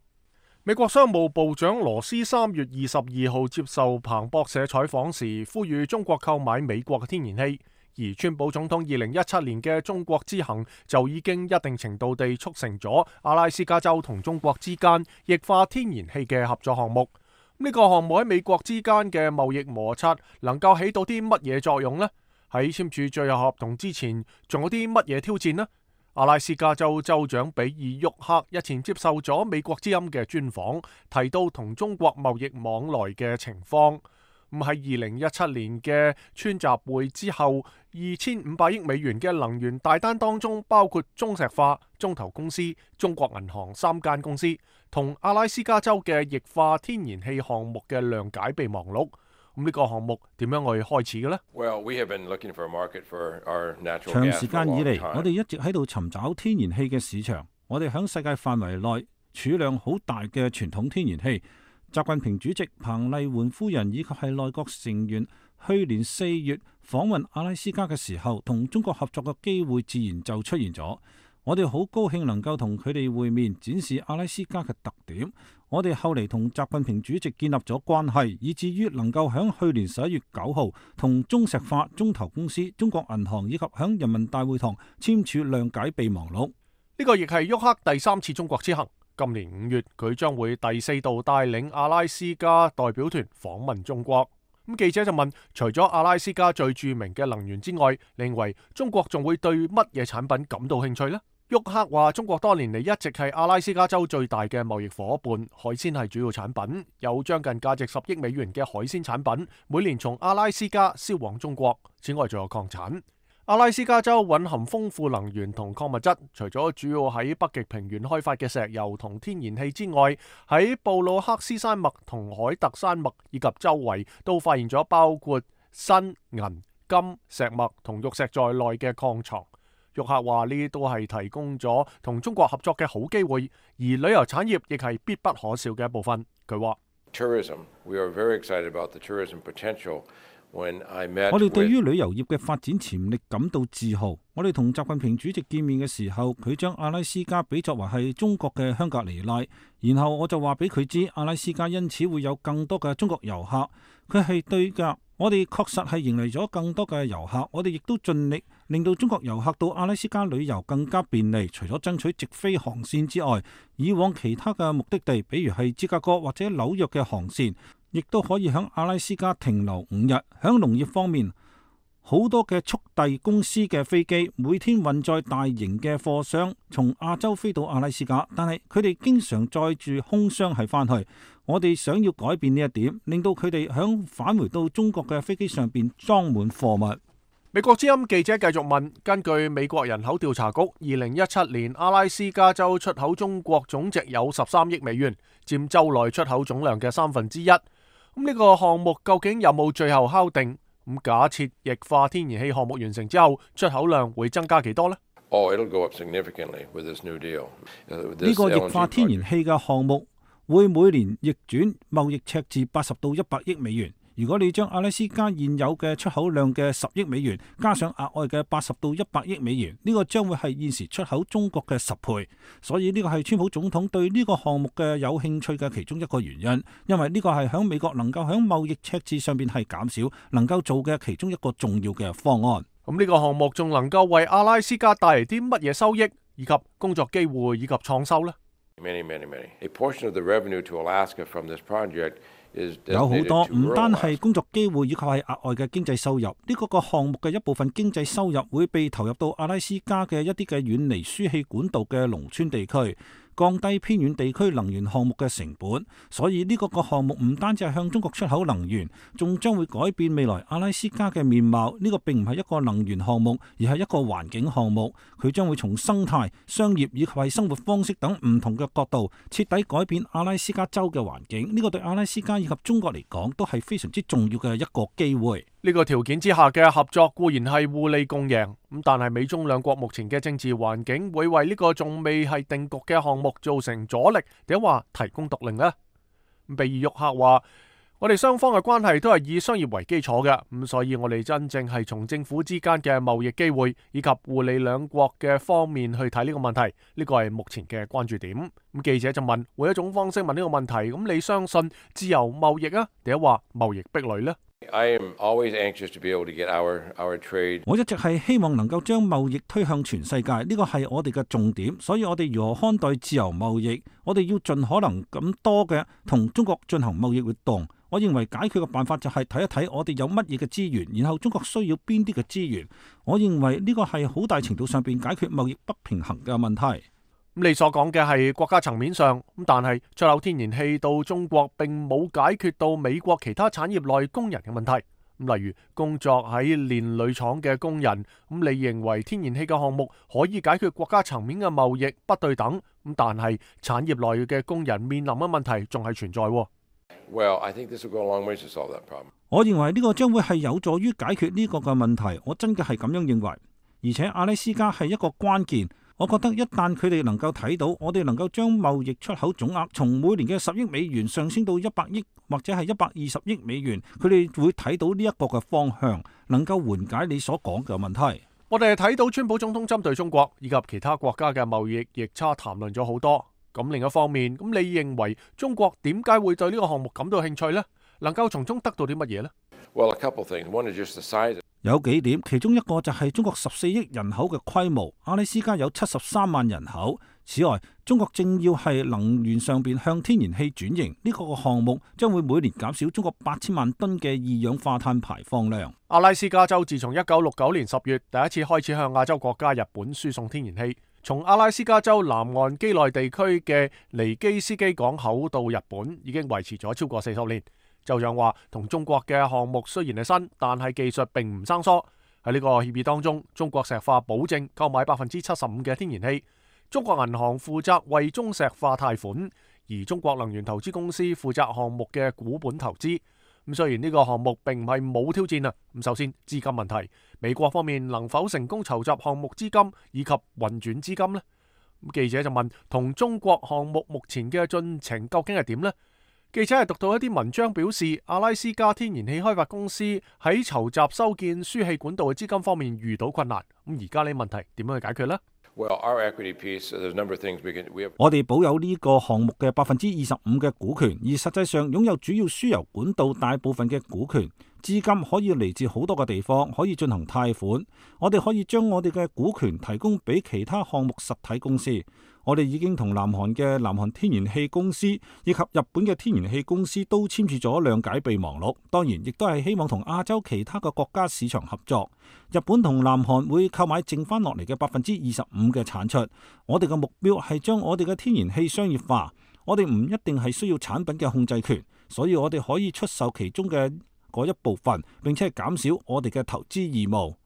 美國商務部長羅斯三月二十二號接受彭博社採訪時，呼籲中國購買美國嘅天然氣。而川普總統二零一七年嘅中國之行就已經一定程度地促成咗阿拉斯加州同中國之間液化天然氣嘅合作項目。呢、這個項目喺美國之間嘅貿易摩擦能夠起到啲乜嘢作用呢？喺簽署最後合同之前，仲有啲乜嘢挑戰呢？阿拉斯加州州長比爾沃克日前接受咗美國之音嘅專訪，提到同中國貿易往來嘅情況。咁喺二零一七年嘅川習會之後，二千五百億美元嘅能源大單當中，包括中石化、中投公司、中國銀行三間公司同阿拉斯加州嘅液化天然氣項目嘅諒解備忘錄。咁呢個項目點樣去開始嘅呢？ Well, we have been looking for a market for our natural gas. 長時間以嚟，我哋一直喺度尋找天然氣嘅市場。我哋喺世界範圍內儲量好大嘅傳統天然氣。習近平主席、彭麗媛夫人以及係內閣成員去年四月訪問阿拉斯加嘅時候，同中國合作嘅機會自然就出現咗。我哋好高興能夠同佢哋會面，展示阿拉斯加嘅特點。我哋後嚟同習近平主席建立咗關係，以至於能夠響去年十一月九號同中石化、中投公司、中國銀行以及響人民大會堂簽署諒解備忘錄。呢個亦係沃克第三次中國之行。今年五月，佢將會第四度帶領阿拉斯加代表團訪問中國。咁記者就問，除咗阿拉斯加最著名嘅能源之外，你認為中國仲會對乜嘢產品感到興趣呢？沃克話：中國多年嚟一直係阿拉斯加州最大嘅貿易夥伴，海鮮係主要產品，有將近價值十億美元嘅海鮮產品，每年從阿拉斯加銷往中國。此外，仲有礦產。阿拉斯加州蘊含豐富能源同礦物質，除咗主要喺北極平原開發嘅石油同天然氣之外，喺布魯克斯山脈同海特山脈以及周圍都發現咗包括砷、銀、金、石墨同玉石在內嘅礦藏。沃克話呢都係提供咗同中國合作嘅好機會，而旅遊產業亦係必不可少嘅一部分。佢話 Tourism, we are very excited about the tourism potential. 我哋對於旅遊業嘅發展潛力感到自豪。我哋同習近平主席見面嘅時候，佢將阿拉斯加比作為係中國嘅香格里拉，然後我就話俾佢知，阿拉斯加因此會有更多嘅中國遊客。佢係對㗎，我哋確實係迎嚟咗更多嘅遊客。我哋亦都盡力令到中國遊客到阿拉斯加旅遊更加便利。除咗爭取直飛航線之外，以往其他嘅目的地，比如係芝加哥或者紐約嘅航線，亦都可以喺阿拉斯加停留五日。喺農業方面，好多嘅速遞公司嘅飛機每天運載大型嘅貨箱從亞洲飛到阿拉斯加，但係佢哋經常載住空箱係翻去。我哋想要改變呢一點，令到佢哋響返回到中國嘅飛機上邊裝滿貨物。美國之音記者繼續問，根據美國人口調查局，二零一七年阿拉斯加州出口中國總值有十三億美元，佔州內出口總量嘅三分之一。咁呢個項目究竟有冇最後敲定？咁假設液化天然氣項目完成之後，出口量會增加幾多呢？ Oh, it'll go up significantly with this new deal. 呢個液化天然氣嘅項目會每年逆轉貿易赤字八十到一百億美元。如果你將阿拉斯加現有嘅出口量嘅十億美元加上額外嘅八十到一百億美元，呢個將會係現時出口中國嘅十倍。所以呢個係川普總統對呢個項目嘅有興趣嘅其中一個原因，因為呢個係響美國能夠響貿易赤字上邊係減少能夠做嘅其中一個重要嘅方案。咁呢個項目仲能夠為阿拉斯加帶嚟啲乜嘢收益，以及工作機會以及創收呢？ Many, many, many. A portion of the revenue to Alaska from this project is 有好 designated 多 to 唔 rural 單 Alaska. 係工作機會，以及係額外嘅經濟收入。呢個個項目嘅一部分經濟收入會被投入到阿拉斯加嘅一啲嘅遠離輸氣管道嘅農村地區，降低偏遠地區能源項目嘅成本。所以呢個個項目唔單止係向中國出口能源，仲將會改變未來阿拉斯加嘅面貌。呢個並唔係一個能源項目，而係一個環境項目。佢將會從生態、商業以及係生活方式等唔同嘅角度，徹底改變阿拉斯加州嘅環境。呢個對阿拉斯加以及中國嚟講都係非常之重要嘅一個機會。呢個條件之下嘅合作固然係互利共贏，咁但係美中兩國目前嘅政治環境會為呢個仲未係定局嘅項目造成阻力，定話提供獨令呢？比爾沃克話：我哋雙方嘅關係都係以商業為基礎嘅，咁所以我哋真正係從政府之間嘅貿易機會以及互利兩國嘅方面去睇呢個問題，呢個係目前嘅關注點。咁記者就問：換一種方式問呢個問題，咁你相信自由貿易啊，定話貿易壁壘呢？ I am always anxious to be able to get our, our trade. 我一直係希望能夠將貿易推向全世界，呢個係我哋嘅重點。所以我哋如何看待自由貿易？我哋要盡可能咁多嘅同中國進行貿易活動。我認為解決嘅辦法就係睇一睇我哋有乜嘢嘅資源，然後中國需要邊啲嘅資源。我認為呢個係好大程度上邊解決貿易不平衡嘅問題。咁你所講嘅係國家層面上，咁但係出口天然氣到中國並冇解決到美國其他產業內工人嘅問題。咁例如工作喺煉鋁廠嘅工人，咁你認為天然氣嘅項目可以解決國家層面嘅貿易不對等？咁但係產業內嘅工人面臨嘅問題仲係存在。Well, I think this will go a long way to solve that problem. 我認為呢個將會係有助於解決呢個嘅問題。我真嘅係咁樣認為，而且阿拉斯加係一個關鍵。我覺得一旦佢哋能夠睇到，我哋能夠將貿易出口總額從每年嘅十億美元上升到一百億或者係一百二十億美元，佢哋會睇到呢一個嘅方向，能夠緩解你所講嘅問題。我哋睇到川普總統針對中國以及其他國家嘅貿易逆差談論咗好多。咁另一方面，咁你認為中國點解會對呢個項目感到興趣呢？能夠從中得到啲乜嘢呢？ Well, a couple things. One is just the size. 有幾點，其中一個就係中國十四億人口嘅規模，阿拉斯加有七十三萬人口。此外，中國正要係能源上邊向天然氣轉型，呢、這個項目將會每年減少中國八千萬噸嘅二氧化碳排放量。阿拉斯加州自從一九六九年十月第一次開始向亞洲國家日本輸送天然氣，從阿拉斯加州南岸畿內地區嘅尼基斯基港口到日本，已經維持咗超過四十年。州長話，同中國嘅項目雖然係新，但係技術並唔生疏。喺呢個協議當中，中國石化保證購買百分之七十五嘅天然氣，中國銀行負責為中石化貸款，而中國能源投資公司負責項目嘅股本投資。咁雖然呢個項目並唔係冇挑戰啊，咁首先資金問題，美國方面能否成功籌集項目資金以及運轉資金呢？咁記者就問，同中國項目目前嘅進程究竟係點呢？記者係讀到一啲文章表示，阿拉斯加天然氣開發公司喺籌集修建輸氣管道嘅資金方面遇到困難。咁而家呢問題點樣去解決呢？ Well, our equity piece, there's a number of things we can. We have. 我哋保有呢個項目嘅百分之二十五嘅股權，而實際上擁有主要輸油管道大部分嘅股權。資金可以嚟自好多個地方，可以進行貸款。我哋可以將我哋嘅股權提供俾其他項目實體公司。我哋已經同南韓嘅南韓天然氣公司以及日本嘅天然氣公司都簽署咗諒解備忘錄。當然，亦都係希望同亞洲其他嘅國家市場合作。日本同南韓會購買剩翻落嚟嘅百分之二十五嘅產出。我哋嘅目標係將我哋嘅天然氣商業化。我哋唔一定係需要產品嘅控制權，所以我哋可以出售其中嘅嗰一部分，並且係減少我哋嘅投資義務。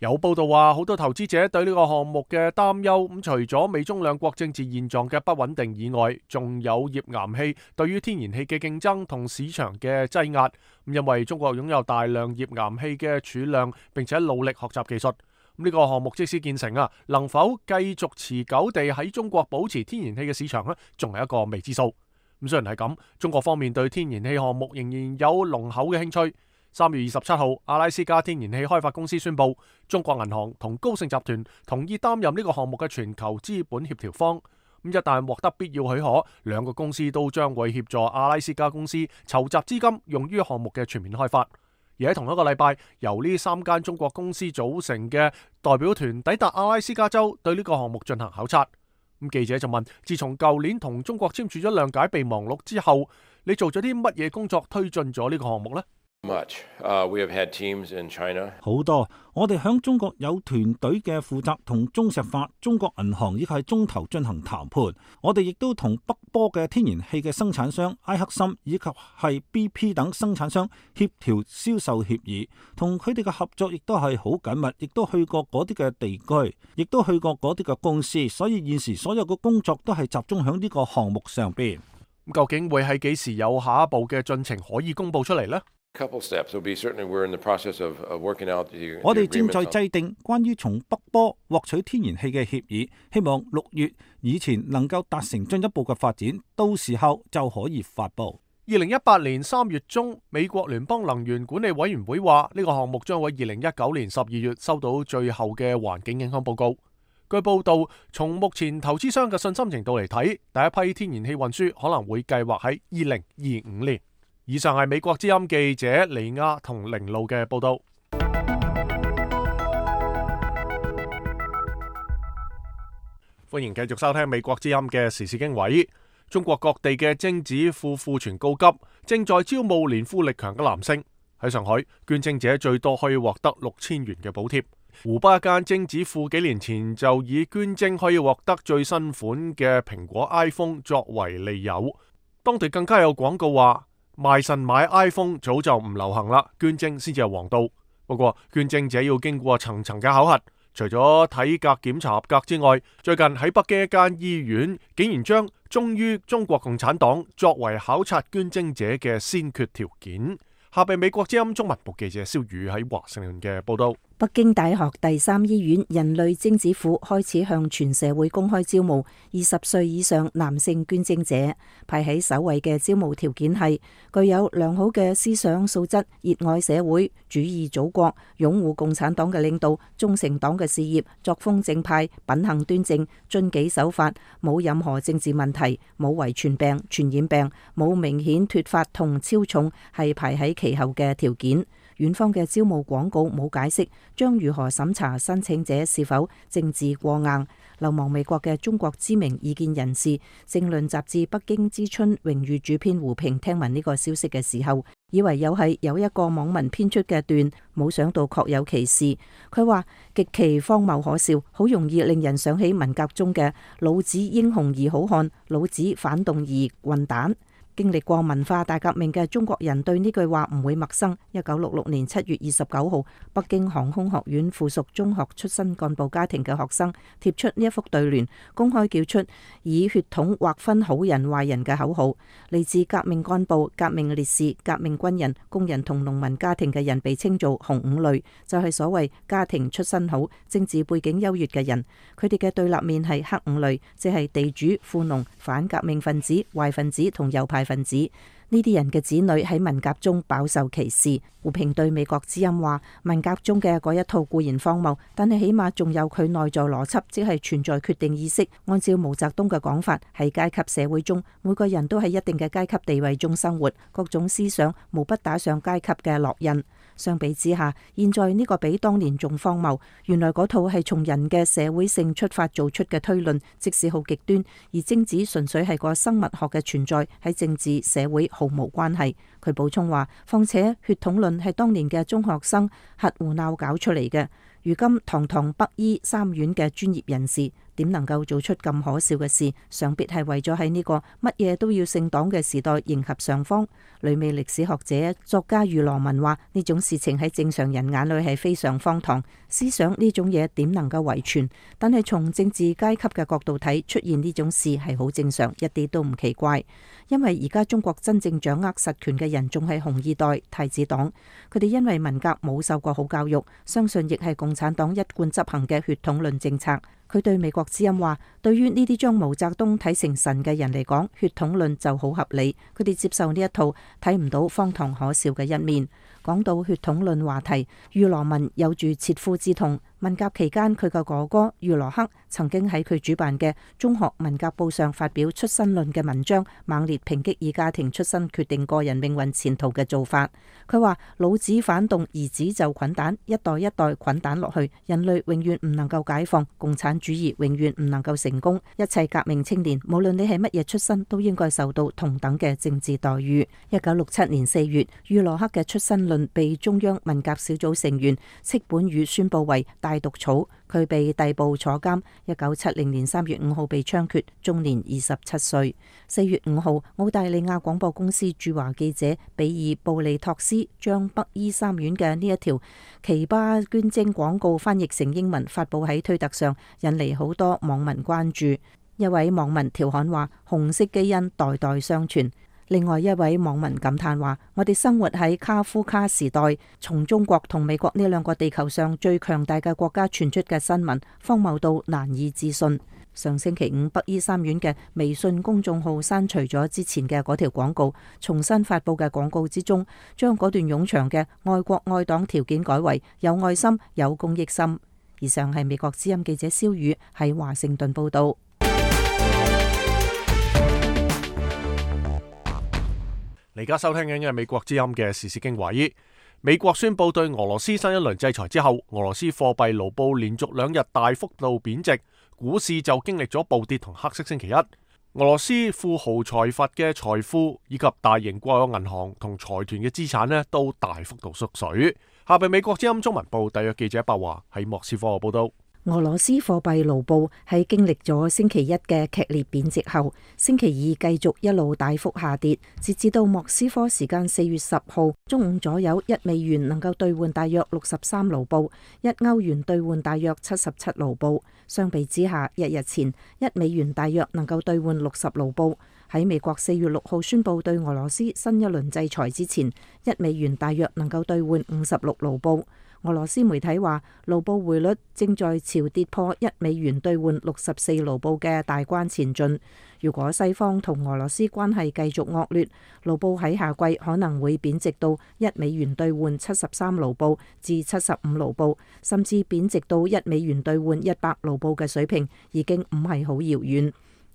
有報道話，好多投資者對呢個項目嘅擔憂，咁除咗美中兩國政治現狀嘅不穩定以外，仲有頁岩氣對於天然氣嘅競爭同市場嘅擠壓。咁因為中國擁有大量頁岩氣嘅儲量，並且努力學習技術。咁呢個項目即使建成啊，能否繼續持久地喺中國保持天然氣嘅市場呢，仲係一個未知數。咁雖然係咁，中國方面對天然氣項目仍然有濃厚嘅興趣。三月二十七號，阿拉斯加天然氣開發公司宣布，中國銀行同高盛集團同意擔任呢個項目嘅全球資本協調方。咁一旦獲得必要許可，兩個公司都將會協助阿拉斯加公司籌集資金，用於項目嘅全面開發。而喺同一個禮拜，由呢三間中國公司組成嘅代表團抵達阿拉斯加州，對呢個項目進行考察。咁記者就問：自從舊年同中國簽署咗諒解備忘錄之後，你做咗啲乜嘢工作推進咗呢個項目呢？ Much. Uh, we have had teams in China. 好多，我哋響中國有團隊嘅負責同中石化、中國銀行以及係中投進行談判。我哋亦都同北波嘅天然氣嘅生產商埃克森以及係 B P 等生產商協調銷售協議，同佢哋嘅合作亦都係好緊密，亦都去過嗰啲嘅地區，亦都去過嗰啲嘅公司。所以現時所有嘅工作都係集中響呢個項目上邊。咁究竟會喺幾時有下一步嘅進程可以公佈出嚟呢？Couple steps will be certainly we're in the process of working out the. 我哋正在制定關於從北波獲取天然氣嘅協議，希望六月以前能夠達成進一步嘅發展，到時候就可以發布。二零一八年三月中，美國聯邦能源管理委員會話呢個項目將會二零一九年十二月收到最後嘅環境影響報告。據報道，從目前投資商嘅信心程度嚟睇，第一批天然氣運輸可能會計劃喺二零二五年。以上係美國之音記者李亞同凌路嘅報道。歡迎繼續收聽美國之音嘅時事經緯。中國各地嘅精子庫庫存告急，正在招募年富力強嘅男性。喺上海，捐精者最多可以獲得六千元嘅補貼。湖北一間精子庫幾年前就以捐精可以獲得最新款嘅蘋果 iPhone 作為利誘，當地更加有廣告話，賣腎買 iPhone 早就唔流行啦，捐精先至係王道。不過捐精者要經過層層嘅考核，除咗體格檢查合格之外，最近喺北京一間醫院竟然將忠於中國共產黨作為考察捐精者嘅先決條件。下邊美國之音中文部記者蕭宇喺華盛頓嘅報道。北京大學第三醫院人類精子庫開始向全社會公開招募二十歲以上男性捐精者，排喺首位嘅招募條件係具有良好嘅思想素質，熱愛社會主義祖國，擁護共產黨嘅領導，忠誠黨嘅事業，作風正派，品行端正，遵紀守法，冇任何政治問題，冇遺傳病、傳染病，冇明顯脫髮同超重，係排喺其後嘅條件。院方嘅招募廣告冇解釋將如何審查申請者是否政治過硬。流亡美國嘅中國知名意見人士、政論雜誌《北京之春》榮譽主編胡平聽聞呢個消息嘅時候，以為又係有一個網民編出嘅段，冇想到確有其事。佢話極其荒謬可笑，好容易令人想起文革中嘅老子英雄而好漢，老子反動而混蛋。經歷過文化大革命嘅中國人對呢句話唔會陌生。一九六六年七月二十九號，北京航空學院附屬中學出身幹部家庭嘅學生貼出呢一幅對聯，公開叫出以血統劃分好人壞人嘅口號。嚟自革命幹部、革命烈士、革命軍人、工人同農民家庭嘅人被稱做紅五類，就係所謂家庭出身好、政治背景優越嘅人。佢哋嘅對立面係黑五類，即係地主、富農、反革命分子、壞分子同右派分子。呢啲人嘅子女喺文革中飽受歧視。胡平對美國之音話：文革中嘅嗰一套固然荒謬，但係起碼仲有佢內在邏輯，即係存在決定意識。按照毛澤東嘅講法，喺階級社會中，每個人都喺一定嘅階級地位中生活，各種思想無不打上階級嘅烙印。相比之下，現在呢個比當年仲荒謬。原來嗰套係從人嘅社會性出發做出嘅推論，即使好極端，而精子純粹係個生物學嘅存在，喺政治社會毫無關係。佢補充話，況且血統論係當年嘅中學生核胡鬧搞出嚟嘅。如今堂堂北醫三院嘅專業人士點能夠做出咁可笑嘅事？想必係為咗喺呢個乜嘢都要姓黨嘅時代迎合上方。旅美歷史學者作家余羅文話：呢種事情喺正常人眼裏係非常荒唐，思想呢種嘢點能夠遺傳？但係從政治階級嘅角度睇，出現呢種事係好正常，一啲都唔奇怪。因為而家中國真正掌握實權嘅人仲係紅二代太子黨，佢哋因為文革冇受過好教育，相信亦係共產黨一貫執行嘅血統論政策。佢對美國之音話：對於呢啲將毛澤東睇成神嘅人嚟講，血統論就好合理，佢哋接受呢一套，睇唔到荒唐可笑嘅一面。講到血統論話題，余羅文有住切膚之痛。文革期間，佢嘅哥哥余羅克曾經喺佢主辦嘅中學文革報上發表出身論嘅文章，猛烈抨擊以家庭出身決定個人命運前途嘅做法。佢話：老子反動，兒子就捆蛋，一代一代捆蛋落去，人類永遠唔能夠解放，共產主義永遠唔能夠成功。一切革命青年，無論你係乜嘢出身，都應該受到同等嘅政治待遇。一九六七年四月，余羅克嘅出身論被中央文革小組成員戚本禹宣布為大毒草，佢被逮捕坐監。一九七零年三月五號被槍決，終年二十七歲。四月五號，澳大利亞廣播公司駐華記者比爾布利托斯將北醫三院嘅呢一條奇葩捐精廣告翻譯成英文，發布喺推特上，引嚟好多網民關注。一位網民調侃話：紅色基因代代相傳。另外一位網民感嘆話：我哋生活喺卡夫卡時代，從中國同美國呢兩個地球上最強大嘅國家傳出嘅新聞，荒謬到難以置信。上星期五，北醫三院嘅微信公眾號刪除咗之前嘅嗰條廣告，重新發布嘅廣告之中，將嗰段冗長嘅愛國愛黨條件改為有愛心、有公益心。以上係美國之音記者蕭宇喺華盛頓報道。你而家收聽緊嘅係美國之音嘅時事經緯。美國宣布對俄羅斯新一輪制裁之後，俄羅斯貨幣盧布連續兩日大幅度貶值，股市就經歷咗暴跌同黑色星期一。俄羅斯富豪財閥嘅財富以及大型國有銀行同財團嘅資產呢都大幅度縮水。下邊美國之音中文部特約記者白華喺莫斯科嘅報道。俄羅斯貨幣盧布喺經歷咗星期一嘅劇烈貶值後，星期二繼續一路大幅下跌，截至到莫斯科時間四月十號中午左右，一美元能夠兌換大約六十三盧布，一歐元兌換大約七十七盧布。相比之下，一日前一美元大約能夠兌換六十盧布。喺美國四月六號宣布對俄羅斯新一輪制裁之前，一美元大約能夠兌換五十六盧布。俄羅斯媒體話，盧布匯率正在朝跌破一美元兌換六十四盧布嘅大關前進。如果西方同俄羅斯關係繼續惡劣，盧布喺夏季可能會貶值到一美元兌換七十三盧布至七十五盧布，甚至貶值到一美元兌換一百盧布嘅水平，已經唔係好遙遠。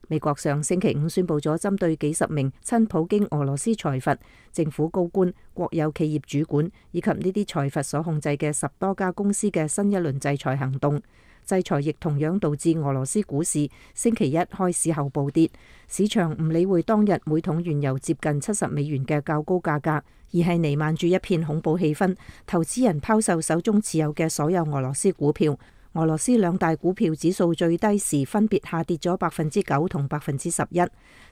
美國上星期五宣布咗針對幾十名親普京俄羅斯財閥、政府高官、國有企業主管以及呢啲財閥所控制嘅十多家公司嘅新一輪制裁行動。制裁亦同樣導致俄羅斯股市星期一開市後暴跌，市場唔理會當日每桶原油接近七十美元嘅較高價格，而係彌漫住一片恐怖氣氛，投資人拋售手中持有嘅所有俄羅斯股票。俄羅斯兩大股票指數最低時分別下跌咗百分之九同百分之十一。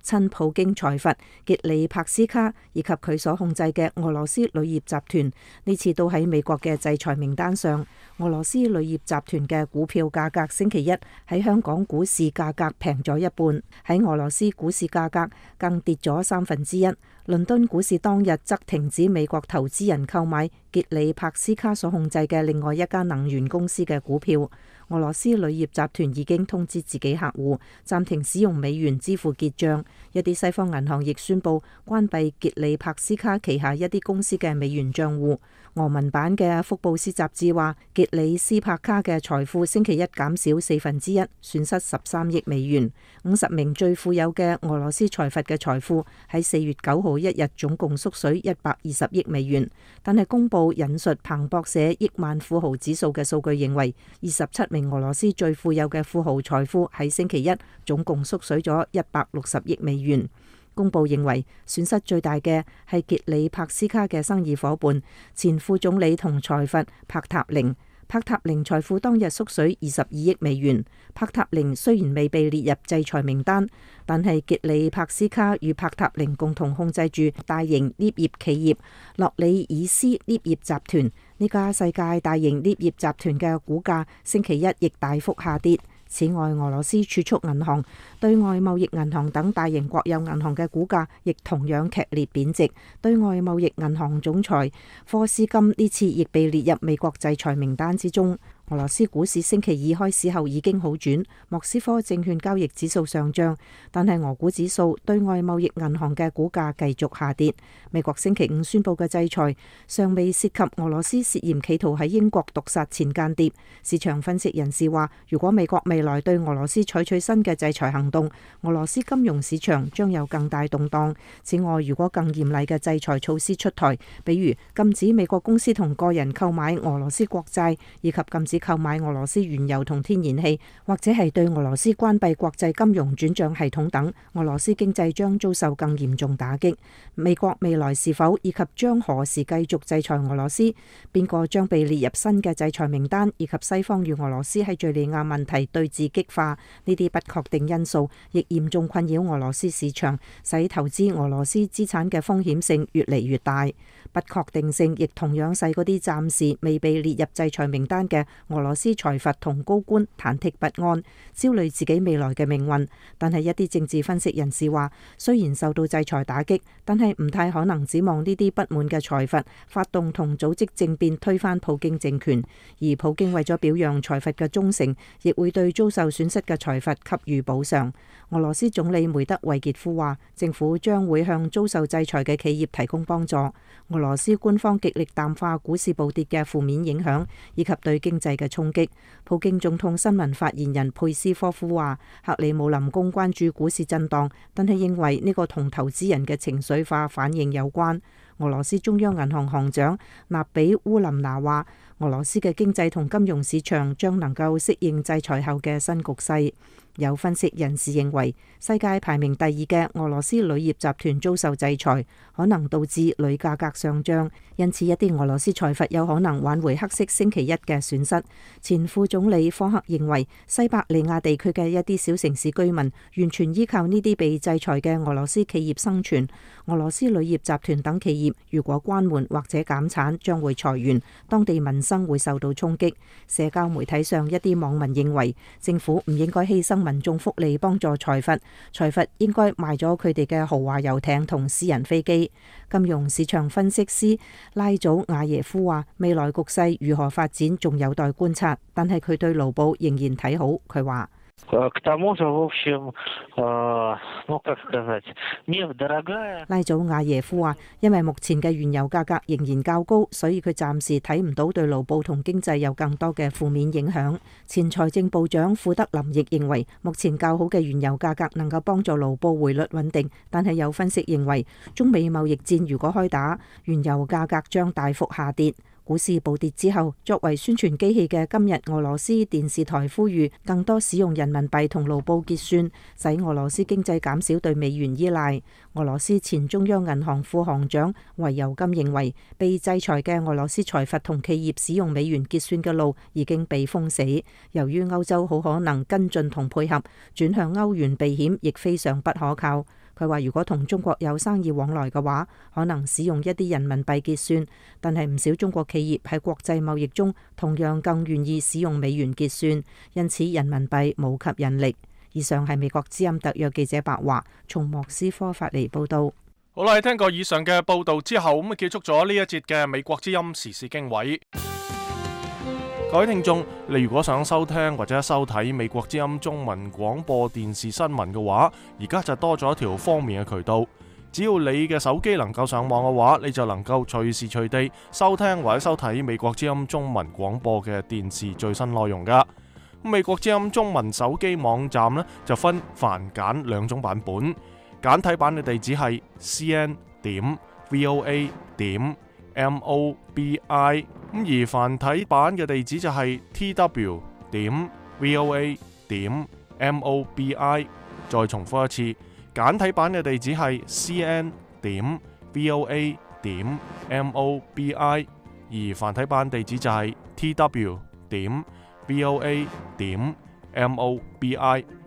親普京財閥傑里帕斯卡以及佢所控制嘅俄羅斯鋁業集團呢次都喺美國嘅制裁名單上。俄羅斯鋁業集團嘅股票價格星期一喺香港股市價格平咗一半，喺俄羅斯股市價格更跌咗三分之一。倫敦股市當日則停止美國投資人購買傑里帕斯卡所控制嘅另外一家能源公司嘅股票。俄羅斯鋁業集團已經通知自己客戶暫停使用美元支付結賬，一啲西方銀行亦宣布關閉傑里帕斯卡旗下一啲公司嘅美元賬戶。俄文版嘅福布斯雜誌話，傑里斯帕卡嘅財富星期一減少四分之一，損失十三億美元。五十名最富有嘅俄羅斯財閥嘅財富喺四月九號一日總共縮水一百二十億美元。但係公佈引述彭博社億萬富豪指數嘅數據認為，二十七名俄羅斯最富有嘅富豪財富喺星期一總共縮水咗一百六十億美元。公佈認為損失最大嘅係傑里帕斯卡嘅生意夥伴前副總理同財閥帕塔寧。帕塔寧財富當日縮水二十二億美元。帕塔寧雖然未被列入制裁名單，但係傑里帕斯卡與帕塔寧共同控制住大型鎳業企業洛里爾斯鎳業集團。呢家世界大型鎳業集團嘅股價星期一亦大幅下跌。此外，俄羅斯儲蓄銀行、對外貿易銀行等大型國有銀行嘅股價亦同樣劇烈貶值。對外貿易銀行總裁科斯金呢次亦被列入美國制裁名單之中。俄羅斯股市星期二開市後已經好轉，莫斯科證券交易指數上漲，但係俄股指數、對外貿易銀行嘅股價繼續下跌。美國星期五宣布嘅制裁尚未涉及俄羅斯涉嫌企圖喺英國毒殺前間諜。市場分析人士話，如果美國未來對俄羅斯採取新嘅制裁行動，俄羅斯金融市場將有更大動盪。此外，如果更嚴厲嘅制裁措施出台，比如禁止美國公司同個人購買俄羅斯國債，以及禁止購買俄羅斯原油同天然氣，或者係對俄羅斯關閉國際金融轉賬系統等，俄羅斯經濟將遭受更嚴重打擊。美國未來是否以及將何時繼續制裁俄羅斯，邊個將被列入新嘅制裁名單，以及西方與俄羅斯喺敘利亞問題對峙激化，呢啲不確定因素亦嚴重困擾俄羅斯市場，使投資俄羅斯資產嘅風險性越嚟越大。不確定性亦同樣使嗰啲暫時未被列入制裁名單嘅俄羅斯財閥同高官忐忑不安，焦慮自己未來嘅命運。但係一啲政治分析人士話，雖然受到制裁打擊，但係唔太可能指望呢啲不滿嘅財閥發動同組織政變推翻普京政權，而普京為咗表揚財閥嘅忠誠，亦會對遭受損失嘅財閥給予補償。俄羅斯總理梅德韋傑夫話，政府將會向遭受制裁嘅企業提供幫助。俄羅斯官方極力淡化股市暴跌嘅負面影響，以及對經濟嘅衝擊。普京總統新聞發言人佩斯科夫話，克里姆林宮關注股市震盪，但係認為呢個同投資人嘅情緒化反應有關。俄羅斯中央銀行行長納比烏林娜話，俄羅斯嘅經濟同金融市場將能夠適應制裁後嘅新局勢。有分析人士認為，世界排名第二嘅俄羅斯鋁業集團遭受制裁，可能導致鋁價格上漲，因此一啲俄羅斯財閥有可能挽回黑色星期一嘅損失。前副總理科克認為，西伯利亞地區嘅一啲小城市居民完全依靠呢啲被制裁嘅俄羅斯企業生存。俄羅斯鋁業集團等企業如果關門或者減產，將會裁員，當地民生會受到衝擊。社交媒體上一啲網民認為，政府唔應該犧牲民眾福利幫助財閥，財閥應該賣咗佢哋嘅豪華遊艇同私人飛機。金融市場分析師拉祖亞耶夫話，未來局勢如何發展仲有待觀察，但係佢對盧布仍然睇好。佢話，拉祖亞耶夫話，因為目前嘅原油價格仍然較高，所以佢暫時睇唔到對盧布同經濟有更多嘅負面影響。前財政部長庫德林亦認為，目前較好嘅原油價格能夠幫助盧布匯率穩定，但係有分析認為，中美貿易戰如果開打，原油價格將大幅下跌。股市暴跌之後，作為宣傳機器嘅今日俄羅斯電視台呼籲更多使用人民幣同盧布結算，使俄羅斯經濟減少對美元依賴。俄羅斯前中央銀行副行長維尤金認為，被制裁嘅俄羅斯財閥同企業使用美元結算嘅路已經被封死。由於歐洲好可能跟進同配合，轉向歐元避險亦非常不可靠。佢話：如果同中國有生意往來嘅話，可能使用一啲人民幣結算，但係唔少中國企業喺國際貿易中同樣更願意使用美元結算，因此人民幣冇吸引力。以上係美國之音特約記者白華從莫斯科發嚟報導。好啦，聽過以上嘅報導之後，咁啊結束咗呢一節嘅美國之音時事經緯。各位聽眾，你如果想收聽或者收睇美國之音中文廣播電視新聞嘅話，而家就多咗一條方便嘅渠道。只要你嘅手機能夠上網嘅話，你就能夠隨時隨地收聽或者收睇美國之音中文廣播嘅電視最新內容噶。美國之音中文手機網站呢，就分繁簡兩種版本，簡體版嘅地址係 c n 點 v o a 點 m o b i。咁而繁體版嘅地址就係 t w 點 v o a 點 m o b i。再重複一次，簡體版嘅地址係 c n 點 v o a 點 m o b i。而繁體版地址就係 t w 點 voa 點 mobi。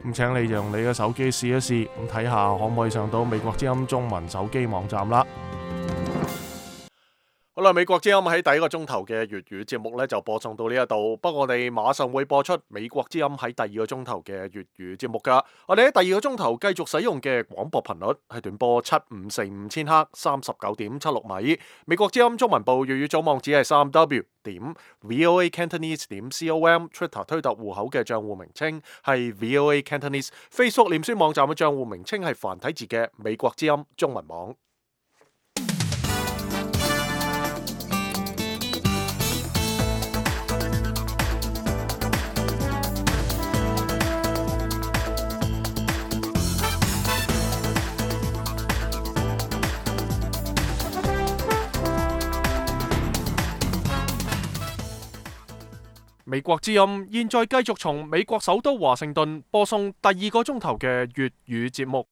咁請你用你嘅手機試一試，咁睇下可唔可以上到美國之音中文手機網站啦。好啦，美國之音喺第一個鐘頭嘅粵語節目呢就播送到呢一度，不過我哋馬上會播出美國之音喺第二個鐘頭嘅粵語節目噶。我哋喺第二個鐘頭繼續使用嘅廣播頻率係短波七五四五千赫，三十九點七六米。美國之音中文部粵語組網址係三 w 點 voa cantonese 點 com，Twitter 推特戶口嘅賬戶名稱係 voa cantonese，Facebook 臉書網站嘅賬戶名稱係繁體字嘅美國之音中文網。美國之音現在繼續從美國首都華盛頓播送第二個鐘頭嘅粵語節目。